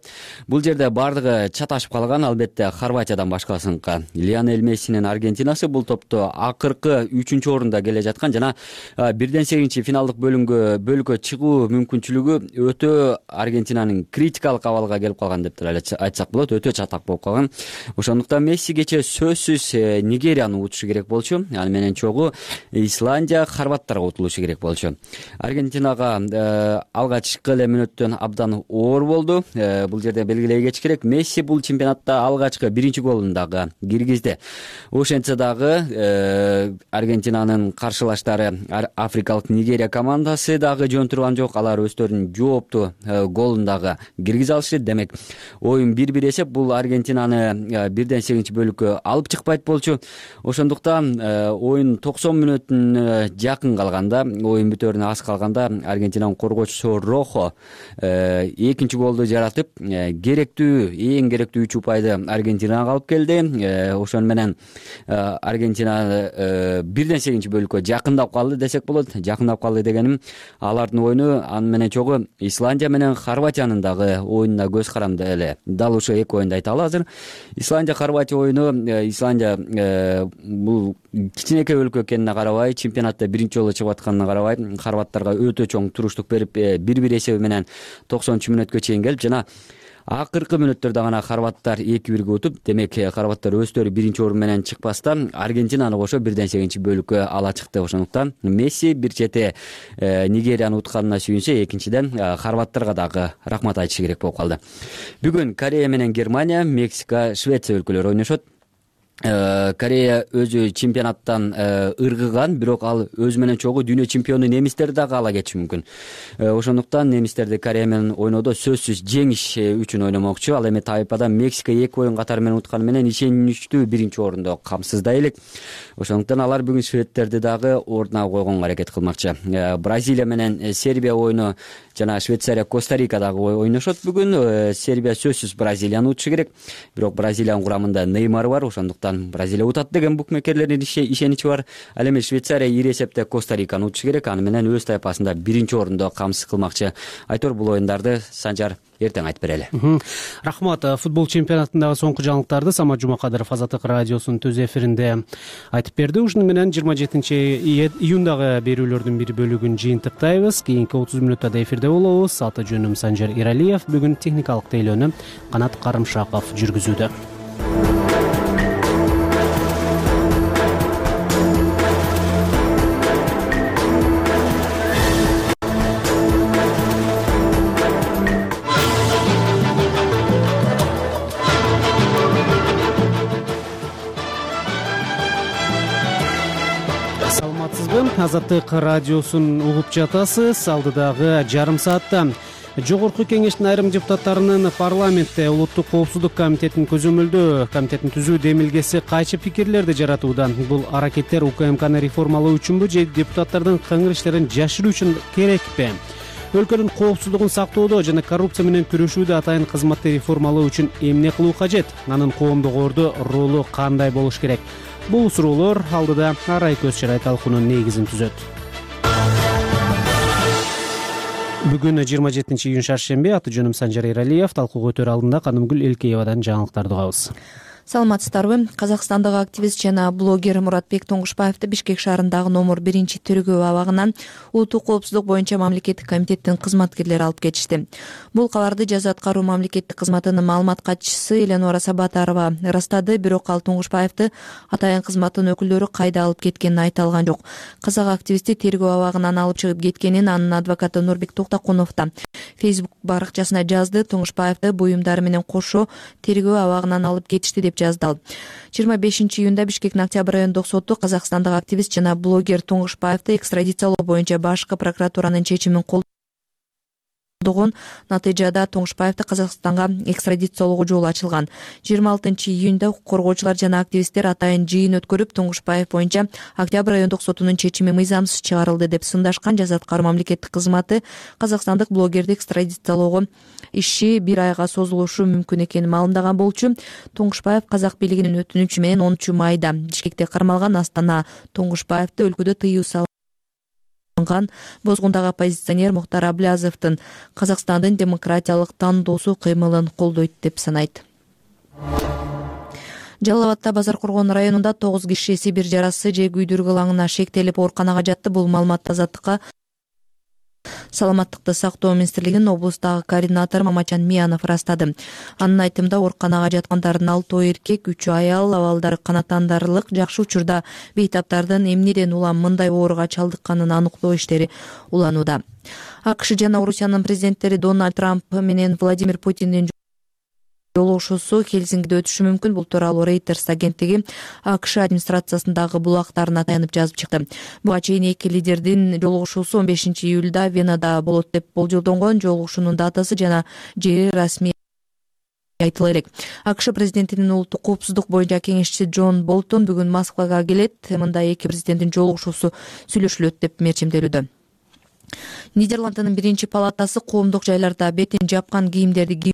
Бул жерде бардыгы чаташып калган, албетте Хорватиядан башкасыныкы. Лионель Мессинин Аргентинасы бул топто акыркы үчүнчү орунда келе жаткан жана бирден сегизинчи финалдык бөлүнгө бөлүккө чыгуу мүмкүнчүлүгү өтө Аргентинанын критикалык абалга келип калган деп айтсак болот, өтө чатак болуп калган. Ошондуктан Месси кече сөзсүз Нигерияны утушу керек болчу. Аны менен чогуу Исландия хорваттарга утулушу керек болчу. Аргентинага алгачкы эле абдан оор болду. Бул жерде белгилей кетиш керек, Месси бул чемпионатта алгачкы биринчи голун дагы киргизди. Ошентсе дагы Аргентинанын каршылаштары Африкалык Нигерия командасы дагы жөн турган жок. Алар өздөрүнүн жооптуу голун дагы киргизе алышты. Демек, оюн бир-бир эсеп бул Аргентинаны бирден сегизинчи бөлүккө алып чыкпайт болчу. Ошондуктан оюн токсон мүнөттүн жакын калганда, оюн бүтөрүнө аз калганда Аргентинанын коргоочусу Рохо экинчи голду жаратып, керектүү, эң керектүү үч упайды Аргентинага алып келди. Ошону менен Аргентина бирден сегизинчи бөлүккө жакындап калды десек болот. Жакындап калды дегеним, алардын оюну аны менен чогуу Исландия менен Хорватиянын дагы оюнуна көз каранды эле. Дал ошо эки оюнду айталы азыр. Исландия Хорватия оюну, Исландия бул кичинекей өлкө экенине карабай, чемпионатта биринчи жолу чыгып атканына карабай, хорваттарга өтө чоң туруштук берип, бир-бир эсеби менен токсонунчу мүнөткө чейин келип, жана акыркы мүнөттөрдө гана хорваттар эки бирге утуп, демек хорваттар өздөрү биринчи орун менен чыкпастан Аргентинаны кошо бирден сегизинчи бөлүккө ала чыкты. Ошондуктан Месси бир чети Нигерияны утканына сүйүнсө, экинчиден хорваттарга дагы рахмат айтышы керек болуп калды. Бүгүн Корея менен Германия, Мексика, Швеция өлкөлөрү ойношот. Корея өзү чемпионаттан ыргыган, бирок ал өзү менен чогуу дүйнө чемпиону немистерди дагы ала кетиши мүмкүн. Ошондуктан немистерди Корея менен ойноодо сөзсүз жеңиш үчүн ойномокчу. Ал эми тайпада Мексика эки оюн катары менен утканы менен ишеничтүү биринчи орунду камсыздай элек. Ошондуктан алар бүгүн шведтерди дагы ордуна койгонго аракет кылмакчы. Бразилия менен Сербия оюну жана Швейцария Коста-Рика дагы ойношот бүгүн. Сербия сөзсүз Бразилияны утушу керек, бирок Бразилиянын курамында Неймар бар. Ошондуктан ошондуктан Бразилия утат деген букмекерлердин ишеничи бар. Ал эми Швейцария ири эсепте Коста-Риканы утушу керек. Аны менен өз тайпасында биринчи орунду камсыз кылмакчы. Айтор бул оюндарды Санжар эртең айтып берели. Рахмат. Футбол чемпионатындагы соңку жаңылыктарды Самат Жумакадыров Азаттык радиосунун төз эфиринде айтып берди. Ушуну менен жыйырма жетинчи июндагы берүүлөрдүн бир бөлүгүн жыйынтыктайбыз. Кийинки отуз мүнөттө эфирде болобуз. Аты жөнүм Санжар Иралиев. Бүгүн техникалык тейлөөнү Канат Карымшаков жүргүзүүдө. Азаттык радиосун угуп жатасыз. Алдыдагы жарым саатта Жогорку кеңештин айрым депутаттарынын парламентте Улуттук коопсуздук комитетинин көзөмөлдөө комитетин түзүү демилгеси кайчы пикирлерди жаратууда. Бул аракеттер УКМКны реформалоо үчүнбү же депутаттардын кыңгыр иштерин жашыруу үчүн керекпи? Өлкөнүн коопсуздугун сактоодо жана коррупция менен күрөшүүдө атайын кызматты реформалоо үчүн эмне кылуу кажет? Анын коомдук орду ролу кандай болуш керек? Бул суроолор алдыда арай көз чарай талкуунун негизин түзөт. Бүгүн жыйырма жетинчи июнь шаршемби. Аты жөнүм Санжар Иралиев. Талкууга өтөр алдында Канымгүл Элкеевадан жаңылыктарды угабыз. Саламатсыздарбы? Казакстандагы активист жана блогер Муратбек Тоңгушпаевди Бишкек шаарындагы номер биринчи тергөө абагынан улуттук коопсуздук боюнча мамлекеттик комитеттин кызматкерлери алып кетишти. Бул кабарды жаза аткаруу мамлекеттик кызматынын маалымат катчысы Эленора Сабатарова ырастады, бирок ал Тоңгушпаевди атайын кызматтын өкүлдөрү кайда алып кеткенин айта алган жок. Казак активисти тергөө абагынан алып чыгып кеткенин анын адвокаты Нурбек Токтокунов да Facebook баракчасына жазды. Тоңгушпаевди буюмдары менен кошо тергөө абагынан алып кетишти деп жазды ал. жыйырма бешинчи июнда Бишкектин Октябрь райондук соту Казакстандагы активист жана блогер Тоңгушпаевди экстрадициялоо боюнча башкы прокуратуранын чечимин колдогон. Натыйжада Тоңгушпаевди Казакстанга экстрадициялоого жол ачылган. жыйырма алтынчы июнда коргоочулар жана активисттер атайын жыйын өткөрүп, Тоңгушпаев боюнча Октябрь райондук сотунун чечими мыйзамсыз чыгарылды деп сындашкан. Жаза аткаруу мамлекеттик кызматы казакстандык блогерди экстрадициялоого иши бир айга созулушу мүмкүн экенин маалымдаган болчу. Тоңгушпаев казак бийлигинин өтүнүчү менен онунчу майда Бишкекте кармалган. Астана Тоңгушпаевди өлкөдө тыюу салган бозгундагы оппозиционер Мухтар Аблязовдун Казакстандын демократиялык тандоосу кыймылын колдойт деп санайт. Жалал Абадта Базар Коргон районунда тогуз киши Сибир жарасы же күйдүргү ылаңына шектелип ооруканага жатты. Бул маалыматты Азаттыкка Саламаттыкты сактоо министрлигинин облустагы координатору Мамачан Миянов ырастады. Анын айтымында ооруканага жаткандардын алтоо эркек, үчөө аял, абалдары канааттандырылык. Жакшы учурда бейтаптардын эмнеден улам мындай ооруга чалдыкканын аныктоо иштери уланууда. АКШ жана Орусиянын президенттери Дональд Трамп менен Владимир Путиндин жолугушуусу Хельсингиде өтүшү мүмкүн. Бул тууралуу Reuters агенттиги АКШ администрациясындагы булактарына таянып жазып чыкты. Буга чейин эки лидердин жолугушуусу он бешинчи июлда Венада болот деп болжолдонгон. Жолугушуунун датасы жана жери расмий айтыла элек. АКШ президентинин улуттук коопсуздук боюнча кеңешчиси Джон Болтон бүгүн Москвага келет. Мында эки президенттин жолугушуусу сүйлөшүлөт деп мерчимделүүдө. Нидерландынын биринчи палатасы коомдук жайларда бетин жапкан кийимдерди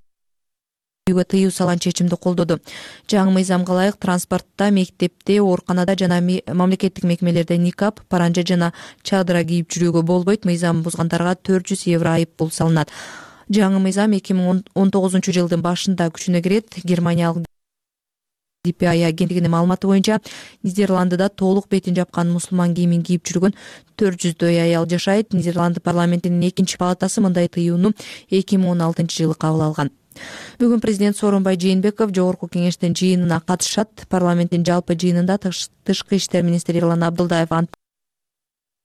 тыюу салган чечимди колдоду. Жаңы мыйзамга ылайык транспортто, мектепте, ооруканада жана мамлекеттик мекемелерде никап, паранжа жана чадыра кийип жүрүүгө болбойт. Мыйзам бузгандарга төрт жүз евро айып пул салынат. Жаңы мыйзам эки миң он тогузунчу жылдын башында күчүнө кирет. Германиялык ди пи ай агенттигинин маалыматы боюнча Нидерландыда толук бетин жапкан мусулман кийимин кийип жүргөн төрт жүздөй аял жашайт. Нидерланды парламентинин экинчи палатасы мындай тыюуну эки миң он алтынчы жылы кабыл алган. Бүгүн президент Сооронбай Жээнбеков Жогорку кеңештин жыйынына катышат. Парламенттин жалпы жыйынында тышкы иштер министри Эрлан Абдылдаев ант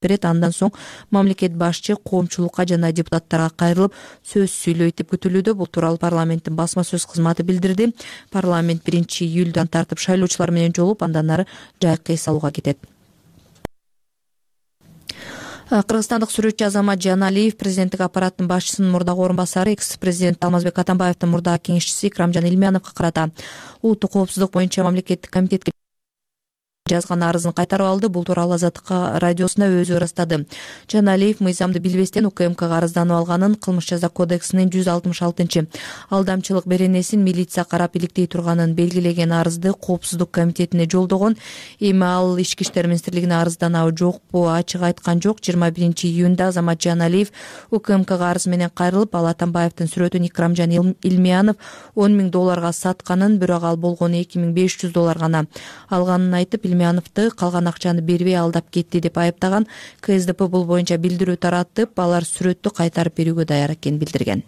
берет. Андан соң мамлекет башчы коомчулукка жана депутаттарга кайрылып сөз сүйлөйт деп күтүлүүдө. Бул тууралуу парламенттин басма сөз кызматы билдирди. Парламент биринчи июлдан тартып шайлоочулар менен жолугуп, андан ары жайкы эс алууга кетет. Кыргызстандык сүрөтчү Азамат Жаналиев президенттик аппараттын башчысынын мурдагы орун басары, экс-президент Алмазбек Атамбаевдин мурдагы кеңешчиси Икрамжан Илмяновго карата улуттук коопсуздук боюнча мамлекеттик комитетке жазган арызын кайтарып алды. Бул тууралуу Азаттык радиосуна өзү ырастады. Жаналиев мыйзамды билбестен УКМКга арызданып алганын, кылмыш жаза кодексинин жүз алтымыш алтынчы алдамчылык беренесин милиция карап иликтей турганын белгилеген арызды Коопсуздук комитетине жолдогон. Эми ал Ички иштер министрлигине арызданабы жокпу ачык айткан жок. жыйырма биринчи июнда Азамат Жаналиев УКМКга арыз менен кайрылып, ал Атамбаевдин сүрөтүн Икрамжан Илмиянов он миң долларга сатканын, бирок ал болгону эки миң беш жүз доллар гана алганын айтып, Илмияновду калган акчаны бербей алдап кетти деп айыптаган. КСДП бул боюнча билдирүү таратып, алар сүрөттү кайтарып берүүгө даяр экенин билдирген.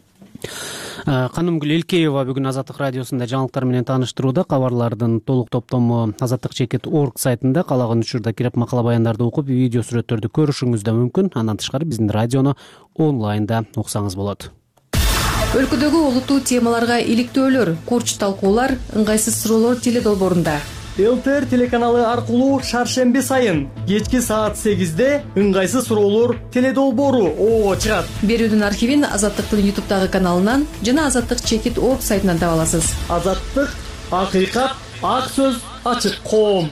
Канымгүл Элкеева бүгүн Азаттык радиосунда жаңылыктар менен тааныштырууда. Кабарлардын толук топтому азаттык чекит точка орг сайтында каалаган учурда кирип макала баяндарды окуп, видео сүрөттөрдү көрүшүңүз да мүмкүн. Андан тышкары биздин радиону онлайнда уксаңыз болот. Өлкөдөгү олуттуу темаларга иликтөөлөр, курч талкуулар, ыңгайсыз суроолор теледолбоорунда. ЛТР телеканалы аркылуу шаршемби сайын кечки саат сегизде ыңгайсыз суроолор теледолбоору ого чыгат. Берүүдүн архивин Азаттыктын ютубтагы каналынан жана азаттык чекит точка орг сайтынан таба аласыз. Азаттык, акыйкат, ак сөз, ачык коом.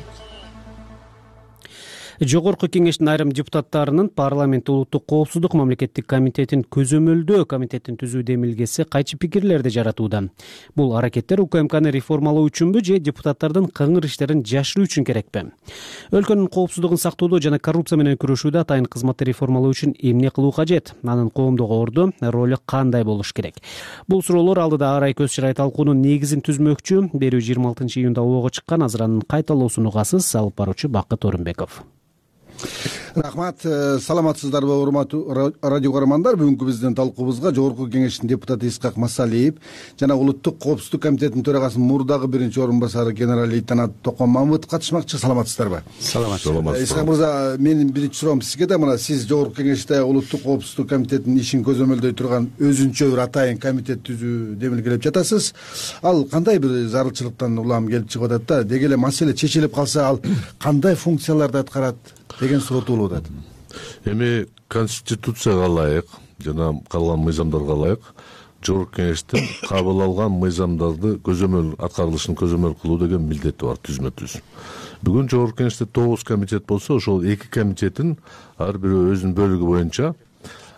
Жогорку кеңештин айрым депутаттарынын парламент улуттук коопсуздук мамлекеттик комитетин көзөмөлдөө комитеттин түзүү демилгеси кайчы пикирлерди жаратууда. Бул аракеттер УКМКны реформалоо үчүнбү же депутаттардын кыңыр иштерин жашыруу үчүн керекпи? Өлкөнүн коопсуздугун сактоодо жана коррупция менен күрөшүүдө атайын кызматты реформалоо үчүн эмне кылуу кажет? Анын коомдогу орду, ролу кандай болуш керек? Бул суроолор алдыда арай көз чырай талкуунун негизин түзмөкчү. Берүү жыйырма алтынчы июнда ого чыккан. Азыр анын кайталоосун угасыз. Алып баруучу Бакыт Орунбеков. Рахмат, саламатсыздарбы урматтуу радио көрөрмандар. Бүгүнкү биздин талкуубузга Жогорку кеңештин депутаты Исхак Масалиев жана Улуттук коопсуздук комитетинин төрагасынын мурдагы биринчи орун басары генерал-лейтенант Токон Мамытов катышмакчы. Саламатсыздарбы? Саламатсыздар. Исхак мырза, менин биринчи суроом сизге да. Мына сиз Жогорку кеңеште Улуттук коопсуздук комитетинин ишин көзөмөлдөй турган өзүнчө бир атайын комитет түзүү демилгелеп жатасыз. Ал кандай бир зарылчылыктан улам келип чыгып атат да? Деги эле маселе чечилип калса, ал кандай функцияларды аткарат деген суроо туулуп атат. Эми конституцияга ылайык жана калган мыйзамдарга ылайык Жогорку кеңештин кабыл алган мыйзамдарды көзөмөл аткарылышын көзөмөл кылуу деген милдети бар түзмө түз. Бүгүн Жогорку кеңеште тогуз комитет болсо, ошол эки комитеттин ар бири өзүнүн бөлүгү боюнча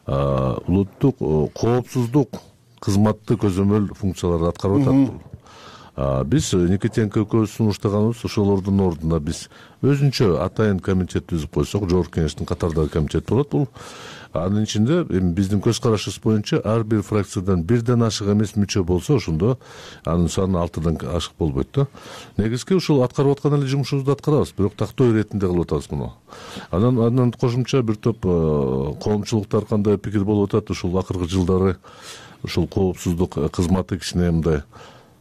улуттук коопсуздук кызматты көзөмөл функцияларды аткарып атат. Биз Никитенко экөөбүз сунуштаганыбыз ошолордун ордуна биз өзүнчө атайын комитет түзүп койсок, Жогорку кеңештин катардагы комитет болот. Бул анын ичинде эми биздин көз карашыбыз боюнча ар бир фракциядан бирден ашык эмес мүчө болсо, ошондо анын саны алтыдан ашык болбойт да. Негизги ушул аткарып аткан эле жумушубузду аткарабыз, бирок тактоо иретинде кылып атабыз муну. Анан андан кошумча бир топ коомчулуктар кандай пикир болуп атат, ушул акыркы жылдары ушул коопсуздук кызматы кичине мындай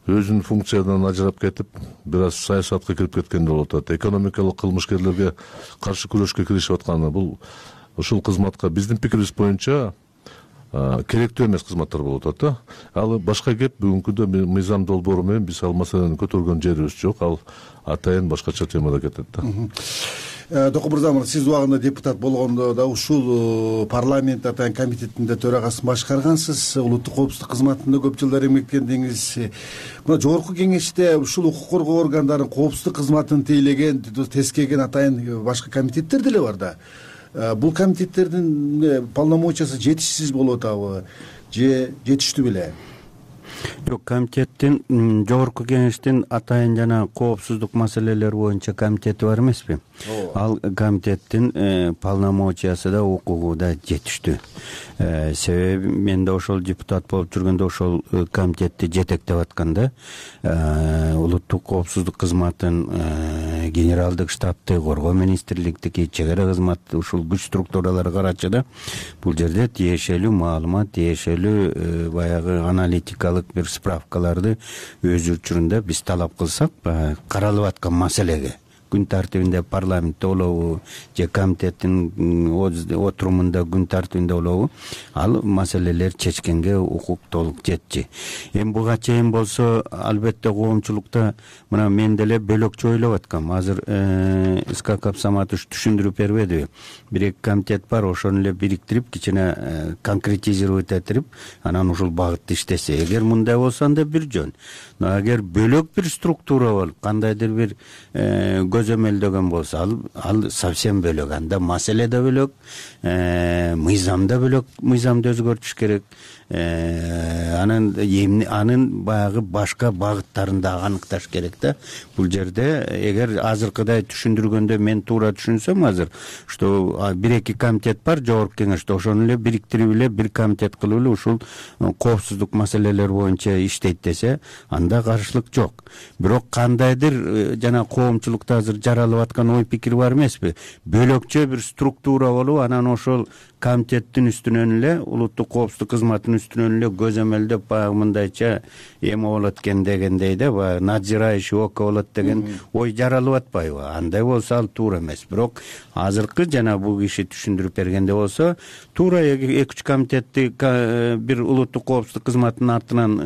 өзүнүн функциядан ажырап кетип, бир аз саясатка кирип кеткен болуп атат. Экономикалык кылмышкерлерге каршы күрөшкө киришип атканы бул ушул кызматка биздин пикирибиз боюнча керектүү эмес кызматтар болуп атат да. Ал башка кеп, бүгүнкүдө мыйзам долбоору менен биз ал маселени көтөргөн жерибиз жок. Ал атайын башкача темада кетет да. Токон мырза, сиз убагында депутат болгондо да ушул парламент атайын комитетинде төрагасын башкаргансыз, улуттук коопсуздук кызматында көп жылдар эмгектендиңиз. Мына Жогорку кеңеште ушул укук коргоо органдарынын коопсуздук кызматын тейлеген, тескеген атайын башка комитеттер деле бар да. Бул комитеттердин полномочиясы жетишсиз болуп атабы же жетиштүү беле? Жок, комитеттин Жогорку кеңештин атайын жана коопсуздук маселелери боюнча комитети бар эмеспи? Ал комитеттин полномочиясы да укугу да жетиштүү. Себеби мен да ошол депутат болуп жүргөндө ошол комитетти жетектеп атканда улуттук коопсуздук кызматын, генералдык штабты, коргоо министрликтики, чек ара кызмат ушул күч структуралары карачы да бул жерде тиешелүү маалымат, тиешелүү баягы аналитикалык бир справкаларды өз учурунда биз талап кылсак, каралып аткан маселеге күн тартибинде парламентте болобу же комитеттин отурумунда күн тартибинде болобу, ал маселелер чечкенге укук толук жетчи. Эми буга чейин болсо, албетте коомчулукта мына мен деле бөлөкчө ойлоп аткам. Азыр Исхак Абсаматович түшүндүрүп бербедиби? Бир-эки комитет бар, ошону эле бириктирип, кичине конкретизировать этирип, анан ушул багытты иштесе. Эгер мындай болсо анда бир жөн. Но эгер бөлөк бир структура болуп, кандайдыр бир көзөмөлдөгөн болсо ал ал совсем бөлөк, анда маселе да бөлөк, мыйзам да бөлөк, мыйзамды өзгөртүш керек. Анын эмне анын баягы башка багыттарын да аныкташ керек да. Бул жерде эгер азыркыдай түшүндүргөндө мен туура түшүнсөм, азыр что бир эки комитет бар жогорку кеңеште, ошону эле бириктирип эле бир комитет кылып эле ушул коопсуздук маселелери боюнча иштейт десе, анда каршылык жок. Бирок кандайдыр жана коомчулукта азыр жаралып аткан ой пикир бар эмеспи? Бөлөкчө бир структура болуп, анан ошол комитеттин үстүнөн эле улуттук коопсуздук кызматынын үстүнөн эле көзөмөлдөп баягы мындайча эме болот экен дегендей да, баягы надзирающий око болот деген ой жаралып атпайбы? Андай болсо ал туура эмес. Бирок азыркы жана бул киши түшүндүрүп бергенде болсо, туура эки үч комитетти бир улуттук коопсуздук кызматынын артынан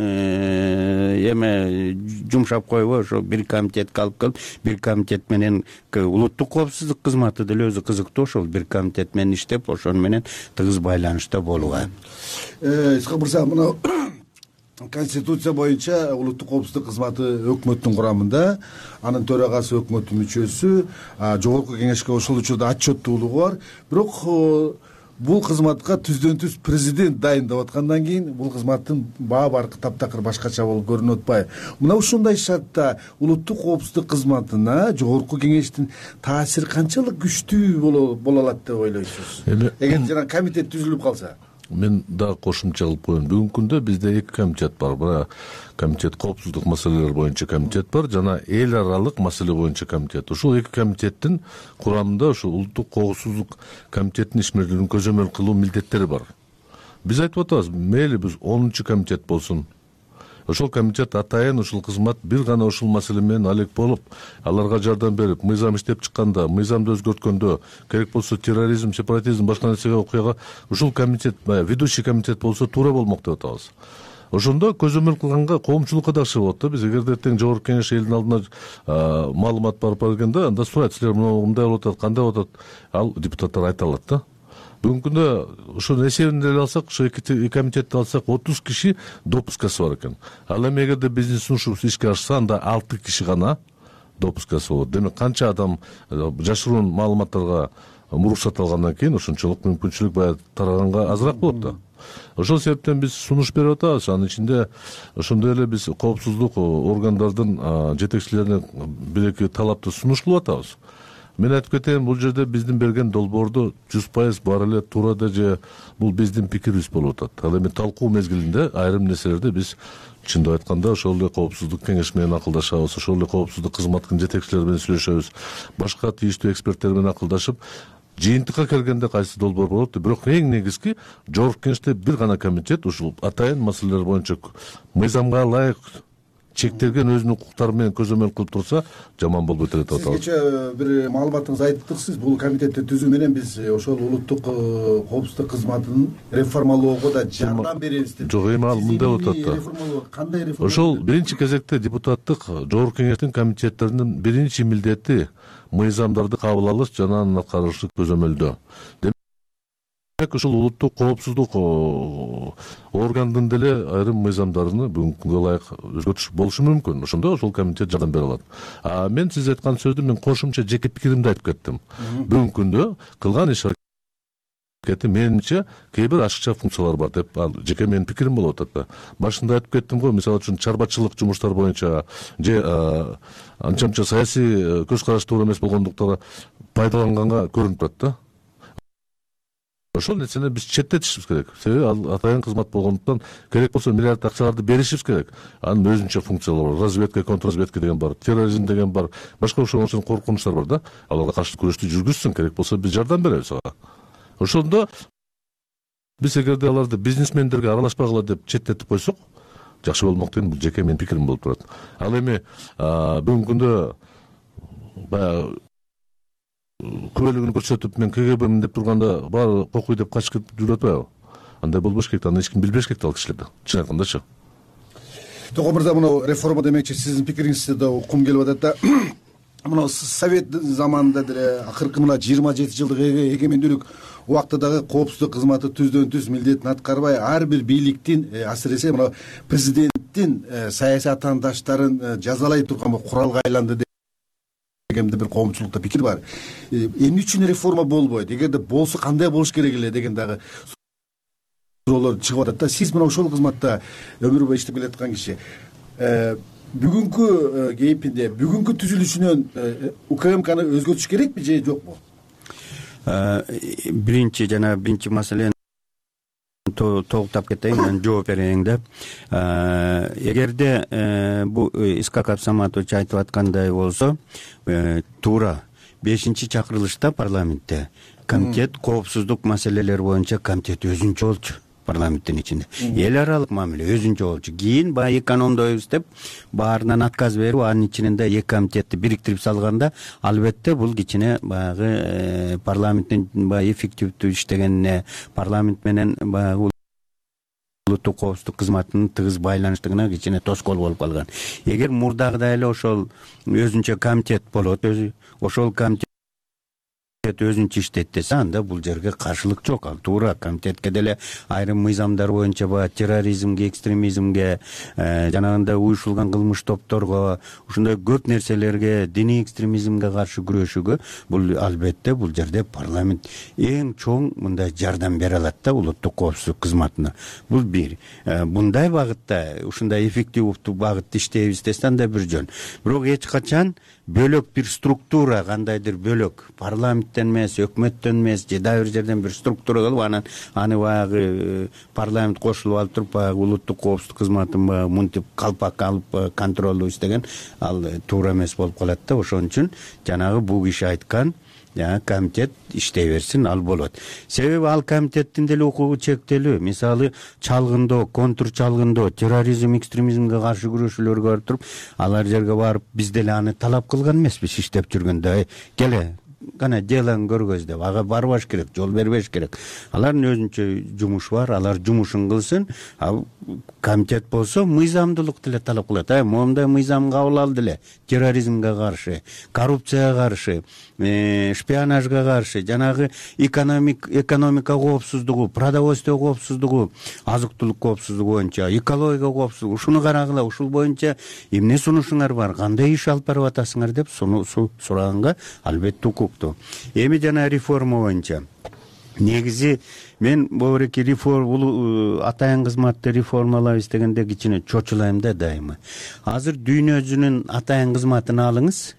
эме жумшап койбой, ошо бир комитетке алып келип, бир комитет менен улуттук коопсуздук кызматы деле өзү кызыктуу, ошол бир комитет менен иштеп, ошону менен тыгыз байланышта болууга. Исхак мырза, мына Конституция боюнча улуттук коопсуздук кызматы өкмөттүн курамында, анын төрагасы өкмөттүн мүчөсү, жогорку кеңешке ошол учурда отчеттуулугу бар. Бирок бул кызматка түздөн түз президент дайындап аткандан кийин бул кызматтын баа баркы таптакыр башкача болуп көрүнүп атпайбы? Мына ушундай шартта улуттук коопсуздук кызматына жогорку кеңештин таасири канчалык күчтүү боло алат деп ойлойсуз? Эгер жана комитет түзүлүп калса? Мен дагы кошумча кылып коеюн. Бүгүнкү күндө бизде эки комитет бар. Бир комитет коопсуздук маселелери боюнча комитет бар, жана эл аралык маселе боюнча комитет. Ушул эки комитеттин курамында ушул улуттук коопсуздук комитеттин ишмердүүлүгүн көзөмөл кылуу милдеттери бар. Биз айтып атабыз, мейли биз онунчу комитет болсун. Ошол комитет атайын ушул кызмат бир гана ушул маселе менен алек болуп, аларга жардам берип, мыйзам иштеп чыкканда, мыйзамды өзгөрткөндө, керек болсо терроризм, сепаратизм, башка нерсеге окуяга ушул комитет, ведущий комитет болсо туура болмок деп атабыз. Ошондо көзөмөл кылганга коомчулукка да акча болот да. Биз эгерде эртең жогорку кеңеш элдин алдына маалымат барып бергенде, анда сурайт, силер мындай болуп атат, кандай болуп атат, ал депутаттар айта алат да. Бүгүнкү күндө ошонун эсебин деле алсак, ошо эки комитетти алсак, отуз киши допускасы бар экен. Ал эми эгерде биздин сунушубуз ишке ашса, анда алты киши гана допускасы болот. Демек канча адам жашыруун маалыматтарга муруксат алгандан кийин ошончолук мүмкүнчүлүк баягы тараганга азыраак болот да. Ошол себептен биз сунуш берип атабыз. Анын ичинде ошондой эле биз коопсуздук органдардын жетекчилерине бир эки талапты сунуш кылып атабыз. Мен айтып кетейин, бул жерде биздин берген долбоорду жүз пайыз баары эле туура да же бул биздин пикирибиз болуп атат. Ал эми талкуу мезгилинде айрым нерселерди биз чындап айтканда ошол эле коопсуздук кеңеш менен акылдашабыз, ошол эле коопсуздук кызматтын жетекчилери менен сүйлөшөбүз, башка тийиштүү эксперттер менен акылдашып, жыйынтыкка келгенде кайсы долбоор болот деп. Бирок эң негизги жогорку кеңеште бир гана комитет ушул атайын маселелер боюнча мыйзамга ылайык чектелген өзүнүн укуктары менен көзөмөл кылып турса, жаман болбойт эле деп атабыз. Сиз кечээ бир маалыматыңызды айттыңыз, бул комитетти түзүү менен биз ошол улуттук коопсуздук кызматын реформалоого да жардам беребиз деп. Жок, эми ал мындай болуп атат да. Кандай реформа? Ошол биринчи кезекте депутаттык жогорку кеңештин комитеттеринин биринчи милдети мыйзамдарды кабыл алыш жана анын аткарылышы көзөмөлдөө. Демек ушул улуттук коопсуздук органдын деле айрым мыйзамдарыны бүгүнкү күнгө ылайык өзгөртүш болушу мүмкүн. Ошондо ошол комитет жардам бере алат. А мен сиз айткан сөздү мен кошумча жеке пикиримди айтып кеттим. Бүгүнкү күндө кылган иш аракети менимче кээ бир ашыкча функциялар бар деп, ал жеке менин пикирим болуп атат да. Башында айтып кеттим го, мисалы үчүн чарбачылык жумуштар боюнча же анча-мынча саясий көз караш туура эмес болгондуктан пайдаланганга көрүнүп турат да. Ошол нерсени биз четтетишибиз керек. Себеби ал атайын кызмат болгондуктан керек болсо миллиард акчаларды беришибиз керек. Анын өзүнчө функциялары бар. Разведка, контрразведка деген бар, терроризм деген бар, башка ошол коркунучтар бар да. Аларга каршы күрөштү жүргүзсүн, керек болсо биз жардам беребиз ага. Ошондо биз эгерде аларды бизнесмендерге аралашпагыла деп четтетип койсок, жакшы болмок деген бул жеке менин пикирим болуп турат. Ал эми бүгүнкү күндө баягы күбөлүгүн көрсөтүп мен КГБмин деп турганда баары кокуй деп качып жүрүп атпайбы? Андай болбош керек, аны эч ким билбеш керек ал кишилерди. Чын айткандачы. Токон мырза, мына реформа демекчи сиздин пикириңизди да уккум келип атат да. Мына совет заманында деле акыркы мына жыйырма жети жылдык эгемендүүлүк убактыдагы коопсуздук кызматы түздөн түз милдетин аткарбай, ар бир бийликтин, асыресе мына президенттин саясий атаандаштарын жазалай турган куралга айланды деген бир коомчулукта пикир бар. Эмне үчүн реформа болбойт? Эгерде болсо кандай болуш керек эле деген дагы суроолор чыгып атат да. Сиз мына ошол кызматта өмүр бою иштеп келаткан киши. Бүгүнкү кейпинде, бүгүнкү түзүлүшүнөн УКМКны өзгөртүш керекпи же жокпу? Биринчи жана биринчи маселени тогуктап кетейин, мен жооп берейин да. Эгерде бул Искак Абсаматович айтып аткандай болсо, туура бешинчи чакырылышта парламентте комитет коопсуздук маселелери боюнча комитет өзүнчө болчу. Парламенттин ичинде эл аралык мамиле өзүнчө болчу. Кийин баягы экономдойбуз деп баарынан отказ берип, анын ичинде эки комитетти бириктирип салганда, албетте бул кичине баягы парламенттин баягы эффективдүү иштегенине, парламент менен баягы улуттук коопсуздук кызматынын тыгыз байланыштыгына кичине тоскоол болуп калган. Эгер мурдагыдай эле ошол өзүнчө комитет болот, өзү ошол комитет өзүнчө иштейт десе, анда бул жерге каршылык жок. Ал туура комитетке деле айрым мыйзамдар боюнча баягы терроризмге, экстремизмге, жанагындай уюшулган кылмыш топторго, ушундай көп нерселерге, диний экстремизмге каршы күрөшүүгө бул албетте бул жерде парламент эң чоң мындай жардам бере алат да улуттук коопсуздук кызматына. Бул бир. Мындай багытта, ушундай эффективдүү багытта иштейбиз десе, анда бир жөн. Бирок эч качан бөлөк бир структура, кандайдыр бөлөк парламенттен эмес, өкмөттөн эмес, же дагы бир жерден бир структура кылып, анан аны баягы парламент кошулуп алып туруп, баягы улуттук коопсуздук кызматын баягы мынтип калпак алып контролдуу иштеген, ал туура эмес болуп калат да. Ошон үчүн жанагы бул киши айткан комитет иштей берсин, ал болот. Себеби ал комитеттин деле укугу чектелүү. Мисалы, чалгындоо, контур чалгындоо, терроризм, экстремизмге каршы күрөшүүлөргө барып туруп, алар жерге барып биз деле аны талап кылган эмеспиз иштеп жүргөндө. Келе кана делаң көргөз деп ага барбаш керек, жол бербеш керек. Алардын өзүнчө жумушу бар, алар жумушун кылсын. Ал комитет болсо мыйзамдуулук деле талап кылат. Ай, моундай мыйзам кабыл алды эле. Терроризмге каршы, коррупцияга каршы, шпионажга каршы, жанагы экономик экономика коопсуздугу, продовольствие коопсуздугу, азык-түлүк коопсуздугу боюнча, экология коопсуздугу, ушуну карагыла, ушул боюнча эмне сунушуңар бар, кандай иш алып барып атасыңар деп суну сураганга албетте укуктуу. Эми жана реформа боюнча негизи мен бобуреки реформа атайын кызматты реформалайбыз дегенде кичине чочулайм да дайыма. Азыр дүйнө жүзүнүн атайын кызматын алыңыз.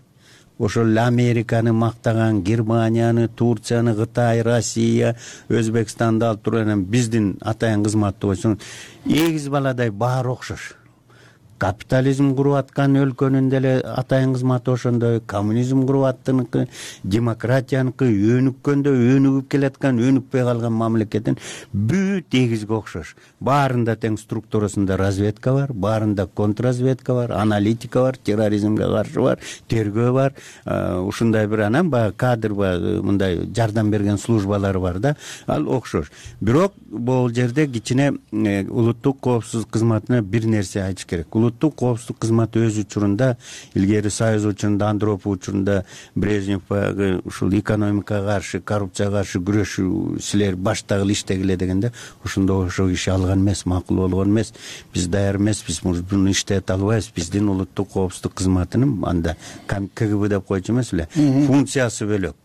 Ошол Американы мактаган, Германияны, Турцияны, Кытай, Россия, Өзбекстанды алып турган биздин атайын кызматты койсоң, эгиз баладай баары окшош. Капитализм куруп аткан өлкөнүн деле атайын кызматы ошондой, коммунизм куруп аттыныкы, демократияныкы, өнүккөндө өнүгүп келаткан, өнүкпөй калган мамлекеттин бүт эгизге окшош. Баарында тең структурасында разведка бар, баарында контрразведка бар, аналитика бар, терроризмге каршы бар, тергөө бар, ушундай бир анан баягы кадр мындай жардам берген службалар бар да, ал окшош. Бирок бул жерде кичине улуттук коопсуздук кызматына бир нерсе айтыш керек. Улуттук коопсуздук кызматы өз учурунда, илгери Союз учурунда, Андропов учурунда Брежнев баягы ушул экономикага каршы, коррупцияга каршы күрөшүү силер баштагыла иштегиле дегенде, ошондо ошол киши алган эмес, макул болгон эмес. Биз даяр эмеспиз, муну иштете албайбыз. Биздин улуттук коопсуздук кызматынын анда КГБ деп койчу эмес эле, функциясы бөлөк.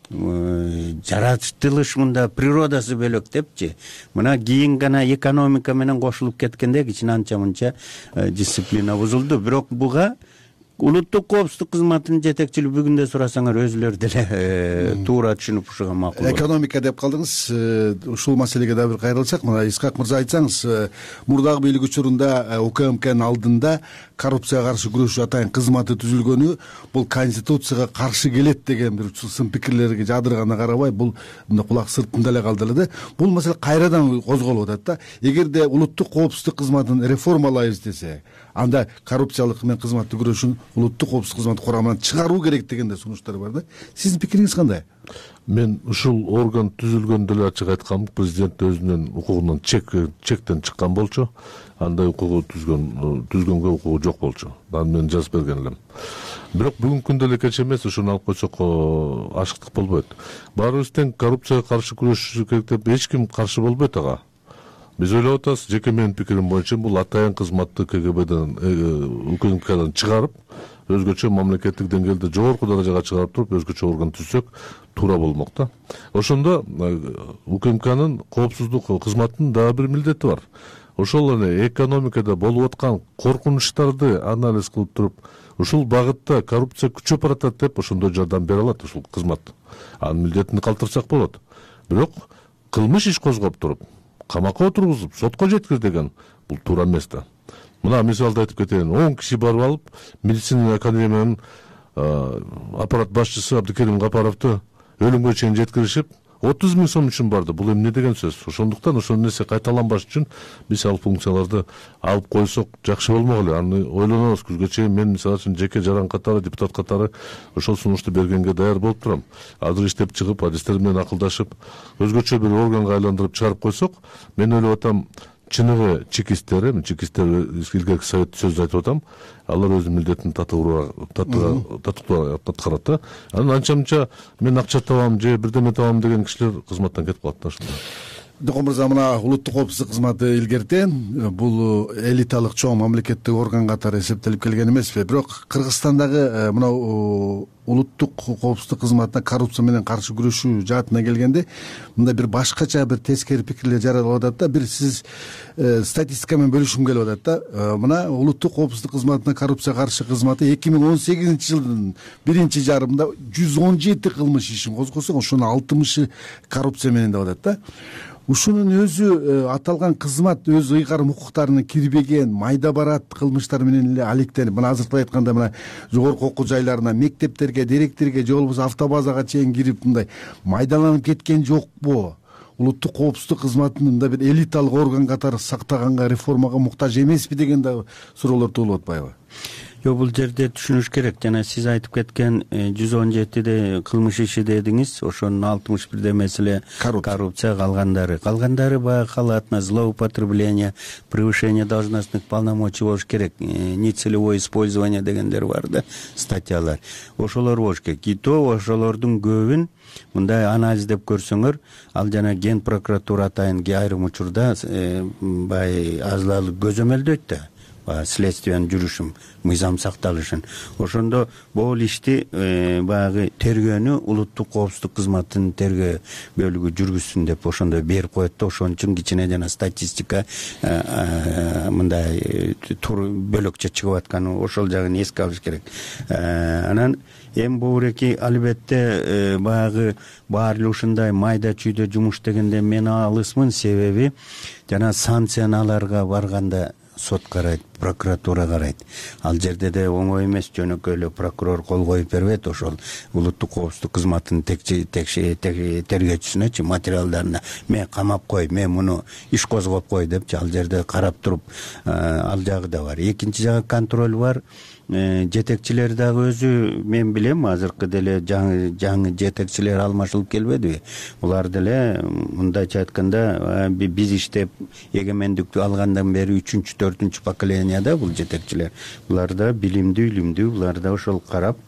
Жаратылыш мында природасы бөлөк депчи. Мына кийин гана экономика менен кошулуп кеткенде кичине анча мынча дисциплина бузулду. Бирок буга улуттук коопсуздук кызматынын жетекчилиги бүгүндө сурасаңар өзүлөрү деле туура түшүнүп ушуга макул. Экономика деп калдыңыз. Ушул маселеге да бир кайрылсак, мына Искак мырза айтсаңыз, мурдагы бийлик учурунда УКМКнын алдында коррупцияга каршы күрөшүү атайын кызматы түзүлгөнү бул конституцияга каршы келет деген бир сын пикирлерге жадырганына карабай, бул мындай кулак сыртында эле калды эле да. Бул маселе кайрадан козголуп атат да. Эгерде улуттук коопсуздук кызматын реформалайбыз десе, анда коррупциялык менен кызматты күрөшүүнү улуттук коопсуздук кызматы курамынан чыгаруу керек деген да сунуштар бар да. Сиздин пикириңиз кандай? Мен ушул орган түзүлгөндө эле ачык айткам, президент өзүнүн укугунан чек чектен чыккан болчу. Андай укугу түзгөн түзгөнгө укугу жок болчу. Аны мен жазып берген элем. Бирок бүгүнкү күндө эле кеч эмес, ушуну алып койсок ашыктык болбойт. Баарыбыз тең коррупцияга каршы күрөшүш керек деп эч ким каршы болбойт ага. биз ойлоп атабыз, жеке менин пикирим боюнча бул атайын кызматты КГБден УКМКдан чыгарып, өзгөчө мамлекеттик деңгээлде жогорку даражага чыгарып туруп, өзгөчө орган түзсөк туура болмок да. Ошондо УКМКнын коопсуздук кызматынын дагы бир милдети бар. Ошол эле экономикада болуп аткан коркунучтарды анализ кылып туруп, ушул багытта коррупция күчөп баратат деп ошондой жардам бере алат ушул кызмат. Анын милдетин калтырсак болот. Бирок кылмыш иш козгоп туруп, камакка отургузуп, сотко жеткир деген бул туура эмес да. Мына мисалды айтып кетейин. он киши барып алып, медицина академиянын аппарат башчысы Абдыкерим Гапаровду өлүмгө чейин жеткиришип, отуз миң сом үчүн барды. Бул эмне деген сөз? Ошондуктан ошол нерсе кайталанбаш үчүн биз ал функцияларды алып койсок жакшы болмок эле. Аны ойлонобуз. Күзгө чейин мен мисалы үчүн жеке жаран катары, депутат катары ошол сунушту бергенге даяр болуп турам. Азыр иштеп чыгып, адистер менен акылдашып, өзгөчө бир органга айландырып чыгарып койсок, мен ойлоп атам, чыныгы чекисттер, эми чекисттер илгерки совет сөздү айтып атам, алар өзүнүн милдетин татыктуу аткарат да. Анан анча-мынча мен акча табам же бирдеме табам деген кишилер кызматтан кетип калат да ошондо. Докон мырза, мына улуттук коопсуздук кызматы илгертен бул элиталык чоң мамлекеттик орган катары эсептелип келген эмеспи? Бирок Кыргызстандагы мына улуттук коопсуздук кызматына коррупция менен каршы күрөшүү жаатына келгенде, мында бир башкача бир тескери пикирлер жаралып атат да. Бир сиз статистика менен бөлүшкүм келип атат да. Мына улуттук коопсуздук кызматына коррупцияга каршы кызматы эки миң он сегизинчи жылдын биринчи жарымында жүз он жети кылмыш ишин козгосо, ошонун алтымышы коррупция менен деп атат да. Ушунун өзү аталган кызмат өз ыйгарым укуктарына кирбеген майда барат кылмыштар менен эле алектенип, мына азыркы айтканда мына жогорку окуу жайларына, мектептерге, директорге же болбосо автобазага чейин кирип мындай майдаланып кеткен жокпу? Улуттук коопсуздук кызматын мындай бир элиталык орган катары сактаганга, реформага муктаж эмеспи деген да суроолор туулуп атпайбы? Жок, бул жерде түшүнүш керек. Жана сиз айтып кеткен жүз он жетиде кылмыш иши дедиңиз, ошонун алтымыш бирде маселе коррупция, калгандары. Калгандары баягы халатность, злоупотребление, превышение должностных полномочий болуш керек. Нецелевое использование дегендер бар да, статьялар. Ошолор болуш керек. И то ошолордун көбүн мындай анализдеп көрсөңөр, ал жана Ген прокуратура атайын айрым учурда бай азалык көзөмөлдөйт да. Следствиянын жүрүшүн, мыйзам сакталышын. Ошондо бул ишти баягы тергөөнү улуттук коопсуздук кызматынын тергөө бөлүгү жүргүзсүн деп ошондой берип коет да. Ошон үчүн кичине жана статистика мындай бөлөкчө чыгып атканы, ошол жагын эске алыш керек. Анан эми бууреки албетте баягы баары эле ушундай майда чүйдө жумуш дегенде мен алысмын, себеби жана санкцияларга барганда сот карайт, прокуратура карайт. Ал жерде де оңой эмес, жөнөкөй эле прокурор кол коюп бербейт ошол улуттук коопсуздук кызматынын тергөөчүсүнөчү материалдарына мен камап кой, мен муну иш козгоп кой депчи ал жерде карап туруп ал жагы да бар. Экинчи жагы контроль бар. Жетекчилер дагы өзү мен билем, азыркы деле жаңы жаңы жетекчилер алмашылып келбедиби? Булар деле мындайча айтканда биз иштеп эгемендикти алгандан бери үчүнчү, төртүнчү поколенияда бул жетекчилер. Булар да билимдүү, илимдүү, булар да ошол карап,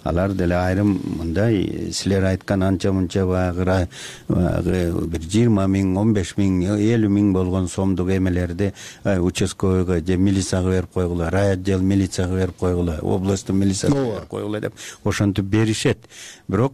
алар деле айрым мындай силер айткан анча мынча баягы бир жыйырма миң, он беш миң, элүү миң болгон сомдук эмелерди участковыйга же милицияга берип койгула, райотдел милицияга берип койгула, областтын милицияга берип койгула деп ошентип беришет. Бирок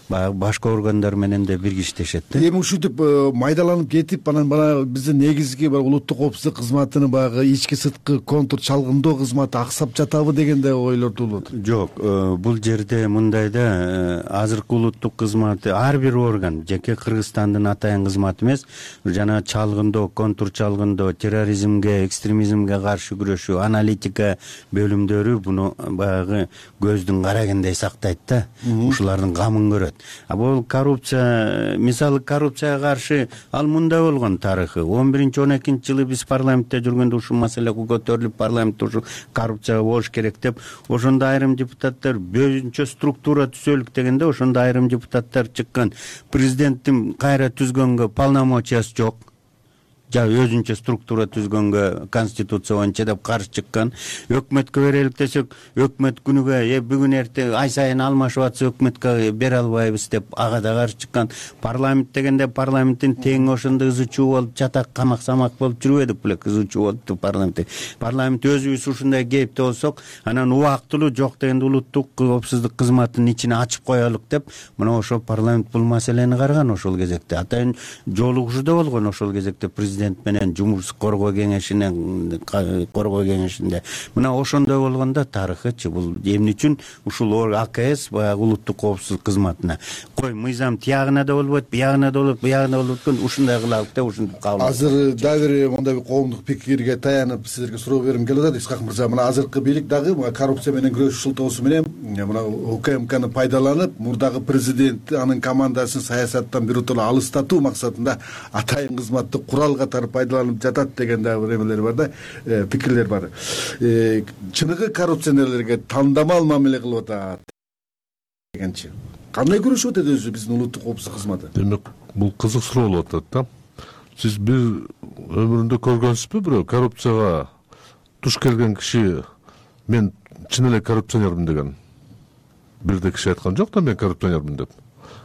баягы башка органдар менен да биргиштешет да. Эми ушинтип майдаланып кетип, анан бана биздин негизги улуттук коопсуздук кызматынын баягы ички сырткы контур чалгындоо кызматы аксап жатабы деген да ойлор туулуп атат. Жок, бул жерде мындай да, азыркы улуттук кызматы ар бир орган жеке Кыргызстандын атайын кызматы эмес, жана чалгындоо, контур чалгындоо, терроризмге, экстремизмге каршы күрөшүү, аналитика бөлүмдөрү буну баягы көздүн карагендей сактайт да. Ушулардын камын көрөт. А бул коррупция, мисалы коррупцияга каршы ал мындай болгон тарыхы. он биринчи он экинчи жылы биз парламентте жүргөндө ушул маселе көтөрүлүп, парламентте ушул коррупция болуш керек деп, ошондо айрым депутаттар бөөнчө структура түзөлүк дегенде, ошондо айрым депутаттар чыккан. Президенттин кайра түзгөнгө полномочиясы жок. өзүнчө структура түзгөнгө конституция боюнча деп каршы чыккан. Өкмөткө берелик десек, өкмөт күнүгө э бүгүн эртең ай сайын алмашып атса өкмөткө бере албайбыз деп ага да каршы чыккан. Парламент дегенде парламенттин тең ошондой ызы чуу болуп жатак камак самак болуп жүрбөдүк беле, ызы чуу болупту парламент. Парламент өзүбүз ушундай кейипте болсок, анан убактылуу жок дегенде улуттук коопсуздук кызматынын ичине ачып коелук деп, мына ошол парламент бул маселени караган ошол кезекте. Атайын жолугушуу да болгон ошол кезекте президент менен жумуш коргоо кеңешинен коргоо кеңешинде. Мына ошондой болгондо тарыхычы бул эмне үчүн ушул АКС баягы улуттук коопсуздук кызматына кой мыйзам тиягына да болбойт, биягына да болбойт, биягына болбойт экен, ушундай кылалык деп ушинтип кабыл. Азыр дагы бир мындай бир коомдук пикирге таянып силерге суроо бергим келип атат. Исхак мырза, мына азыркы бийлик дагы коррупция менен күрөшүү шылтоосу менен мына УКМКны пайдаланып, мурдагы президент анын командасын саясаттан биротоло алыстатуу максатында атайын кызматты курал катары пайдаланып жатат деген дагы бир эмелер бар да, пикирлер бар. Чыныгы коррупционерлерге тандамал мамиле кылып атат дегенчи. Кандай күрөшүп атат өзү биздин улуттук коопсуздук кызматы? Демек, бул кызык суроо болуп атат да. Сиз бир өмүрүндө көргөнсүзбү бирөө коррупцияга туш келген киши мен чын эле коррупционермин деген? Бир да киши айткан жок да мен коррупционермин деп.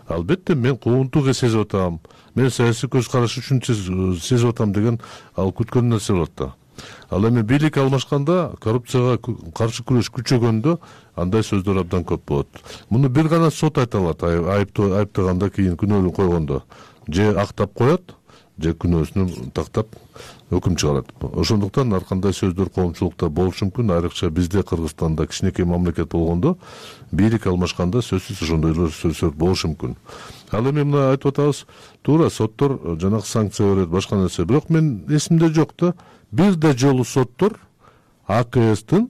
Албетте мен куугунтук сезип атам, мен саясий көз караш үчүн сезип атам деген ал күткөн нерсе болот да. Ал эми бийлик алмашканда коррупцияга каршы күрөш күчөгөндө андай сөздөр абдан көп болот. Муну бир гана сот айта алат, айыптаганда кийин күнөөлүү койгондо. Же актап коет, же күнөөсүнө тактап өкүм чыгарат. Ошондуктан ар кандай сөздөр коомчулукта болушу мүмкүн, айрыкча бизде Кыргызстанда кичинекей мамлекет болгондо бийлик алмашканда сөзсүз ошондой сөздөр болушу мүмкүн. Ал эми мына айтып атабыз, туура соттор жанагы санкция берет, башка нерсе. Бирок мен эсимде жок да, бир да жолу соттор АКСтин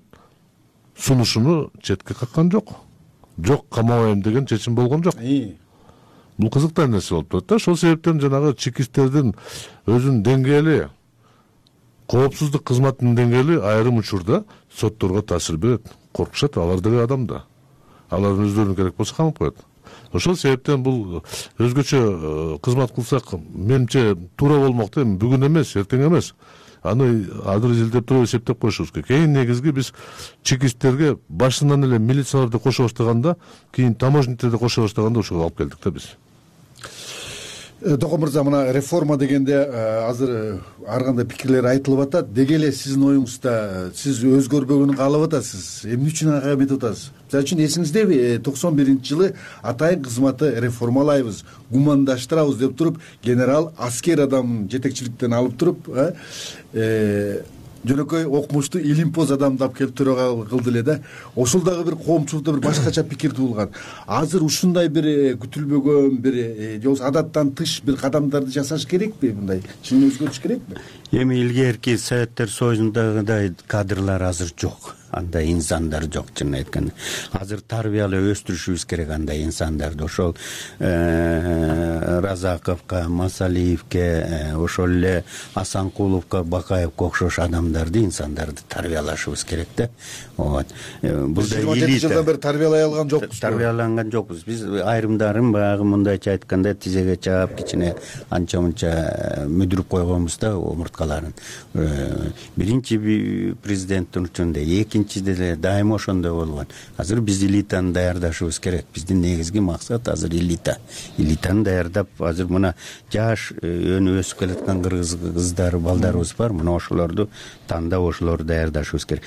сунушуну четке каккан жок. Жок, камабайм деген чечим болгон жок. Бул кызыктуу нерсе болуп турат да. Ошол себептен жанагы чекисттердин өзүнүн деңгээли, коопсуздук кызматынын деңгээли айрым учурда сотторго таасир берет. Коркушат, алар деген адам да. Алардын өздөрүнө керек болсо камап коет. Ошол себептен бул өзгөчө кызмат кылсак, менимче туура болмок да, бүгүн эмес, эртең эмес. Аны адыр изилдеп туруп эсептеп коюшубуз керек. Эң негизги биз чекисттерге башынан эле милицияларды кошо баштаганда, кийин таможниктерди кошо баштаганда ошого алып келдик да биз. Токон мырза, мына реформа дегенде азыр ар кандай пикирлер айтылып атат. Деги эле сиздин оюңузда сиз өзгөрбөгөнүн каалап атасыз. Эмне үчүн ага эметип атасыз? Мисалы үчүн эсиңиздеби, токсон биринчи жылы атайын кызматты реформалайбыз, гумандаштырабыз деп туруп, генерал аскер адамын жетекчиликтен алып туруп, жөнөкөй окумуштуу илимпоз адамды алып келип төрага кылды эле да. Ошол дагы бир коомчулукта бир башкача пикир туулган. Азыр ушундай бир күтүлбөгөн бир же болбосо адаттан тыш бир кадамдарды жасаш керекпи, мындай чын өзгөрүш керекпи? Эми илгерки Советтер Союзундагыдай кадрлар азыр жок. Андай инсандар жок, чын айтканда. Азыр тарбиялап өстүрүшүбүз керек андай инсандарды. Ошол Разаковго, Масалиевге, ошол эле Асанкуловго, Бакаевге окшош адамдарды, инсандарды тарбиялашыбыз керек да. Вот. Бул да элита. жыйырма жети жылдан бери тарбиялай алган жокпуз. Тарбияланган жокпуз. Биз айрымдарын баягы мындайча айтканда тизеге чаап, кичине анча-мынча мүдүрүп койгонбуз да омурткаларын. Биринчи президенттин учурунда, экинчиде деле дайыма ошондой болгон. Азыр биз элитаны даярдашыбыз керек. Биздин негизги максат азыр элита. Элитаны даярдап, азыр мына жаш өнүп өсүп келаткан кыргыз кыздар, балдарыбыз бар. Мына ошолорду тандап, ошолорду даярдашыбыз керек.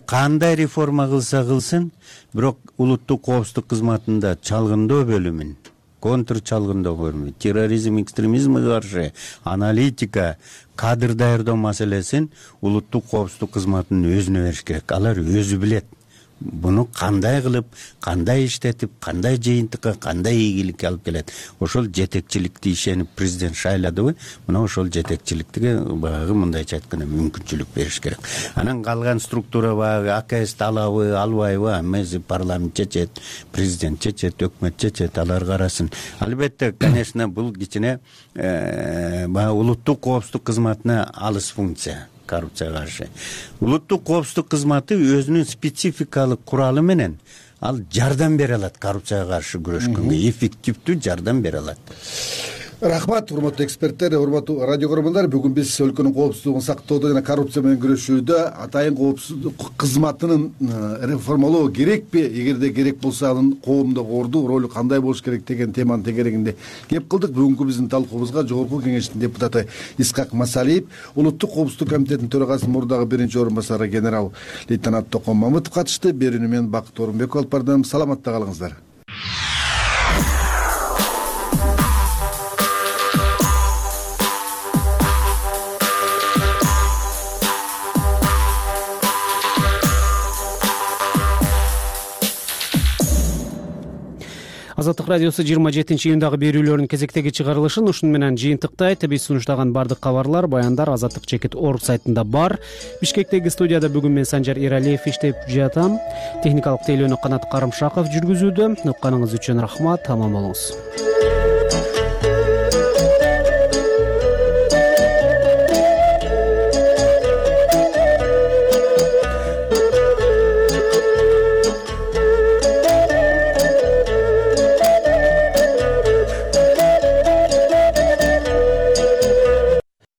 Кандай реформа кылса кылсын, бирок улуттук коопсуздук кызматында чалгындоо бөлүмүн, контр чалгындоо бөлүмү, терроризм, экстремизмге каршы аналитика, кадр даярдоо маселесин улуттук коопсуздук кызматынын өзүнө бериш керек. Алар өзү билет. Буну кандай кылып, кандай иштетип, кандай жыйынтыкка, кандай ийгиликке алып келет. Ошол жетекчиликти ишенип президент шайладыбы, мына ошол жетекчиликке баягы мындайча айтканда мүмкүнчүлүк бериш керек. Анан калган структура баягы АКС алабы, албайбы, эмеси парламент чечет, президент чечет, өкмөт чечет, алар карасын. Албетте, конечно, бул кичине баягы улуттук коопсуздук кызматына алыс функция. Коррупцияга каршы. Улуттук коопсуздук кызматы өзүнүн спецификалык куралы менен ал жардам бере алат коррупцияга каршы күрөшкөнгө, эффективдүү жардам бере алат. рахмат, урматтуу эксперттер, урматтуу радио көрөрмандар. Бүгүн биз өлкөнүн коопсуздугун сактоодо жана коррупция менен күрөшүүдө атайын коопсуздук кызматынын реформалоо керекпи, эгерде керек болсо анын коомдогу орду, ролу кандай болуш керек деген теманын тегерегинде кеп кылдык. Бүгүнкү биздин талкуубузга Жогорку Кеңештин депутаты Исхак Масалиев, Улуттук коопсуздук комитетинин төрагасынын мурдагы биринчи орун басары генерал лейтенант Токон Мамытов катышты. Берүүнү мен Бакыт Орунбеков алып бардым. Саламатта калыңыздар. Азаттык радиосу жыйырма жетинчи июндагы берүүлөрүнүн кезектеги чыгарылышын ушуну менен жыйынтыктайт. Биз сунуштаган бардык кабарлар, баяндар Азаттык чекит орг сайтында бар. Бишкектеги студияда бүгүн мен Санжар Эралиев иштеп жатам. Техникалык тейлөөнү Канат Карымшаков жүргүзүүдө. Укканыңыз үчүн рахмат. Аман болуңуз.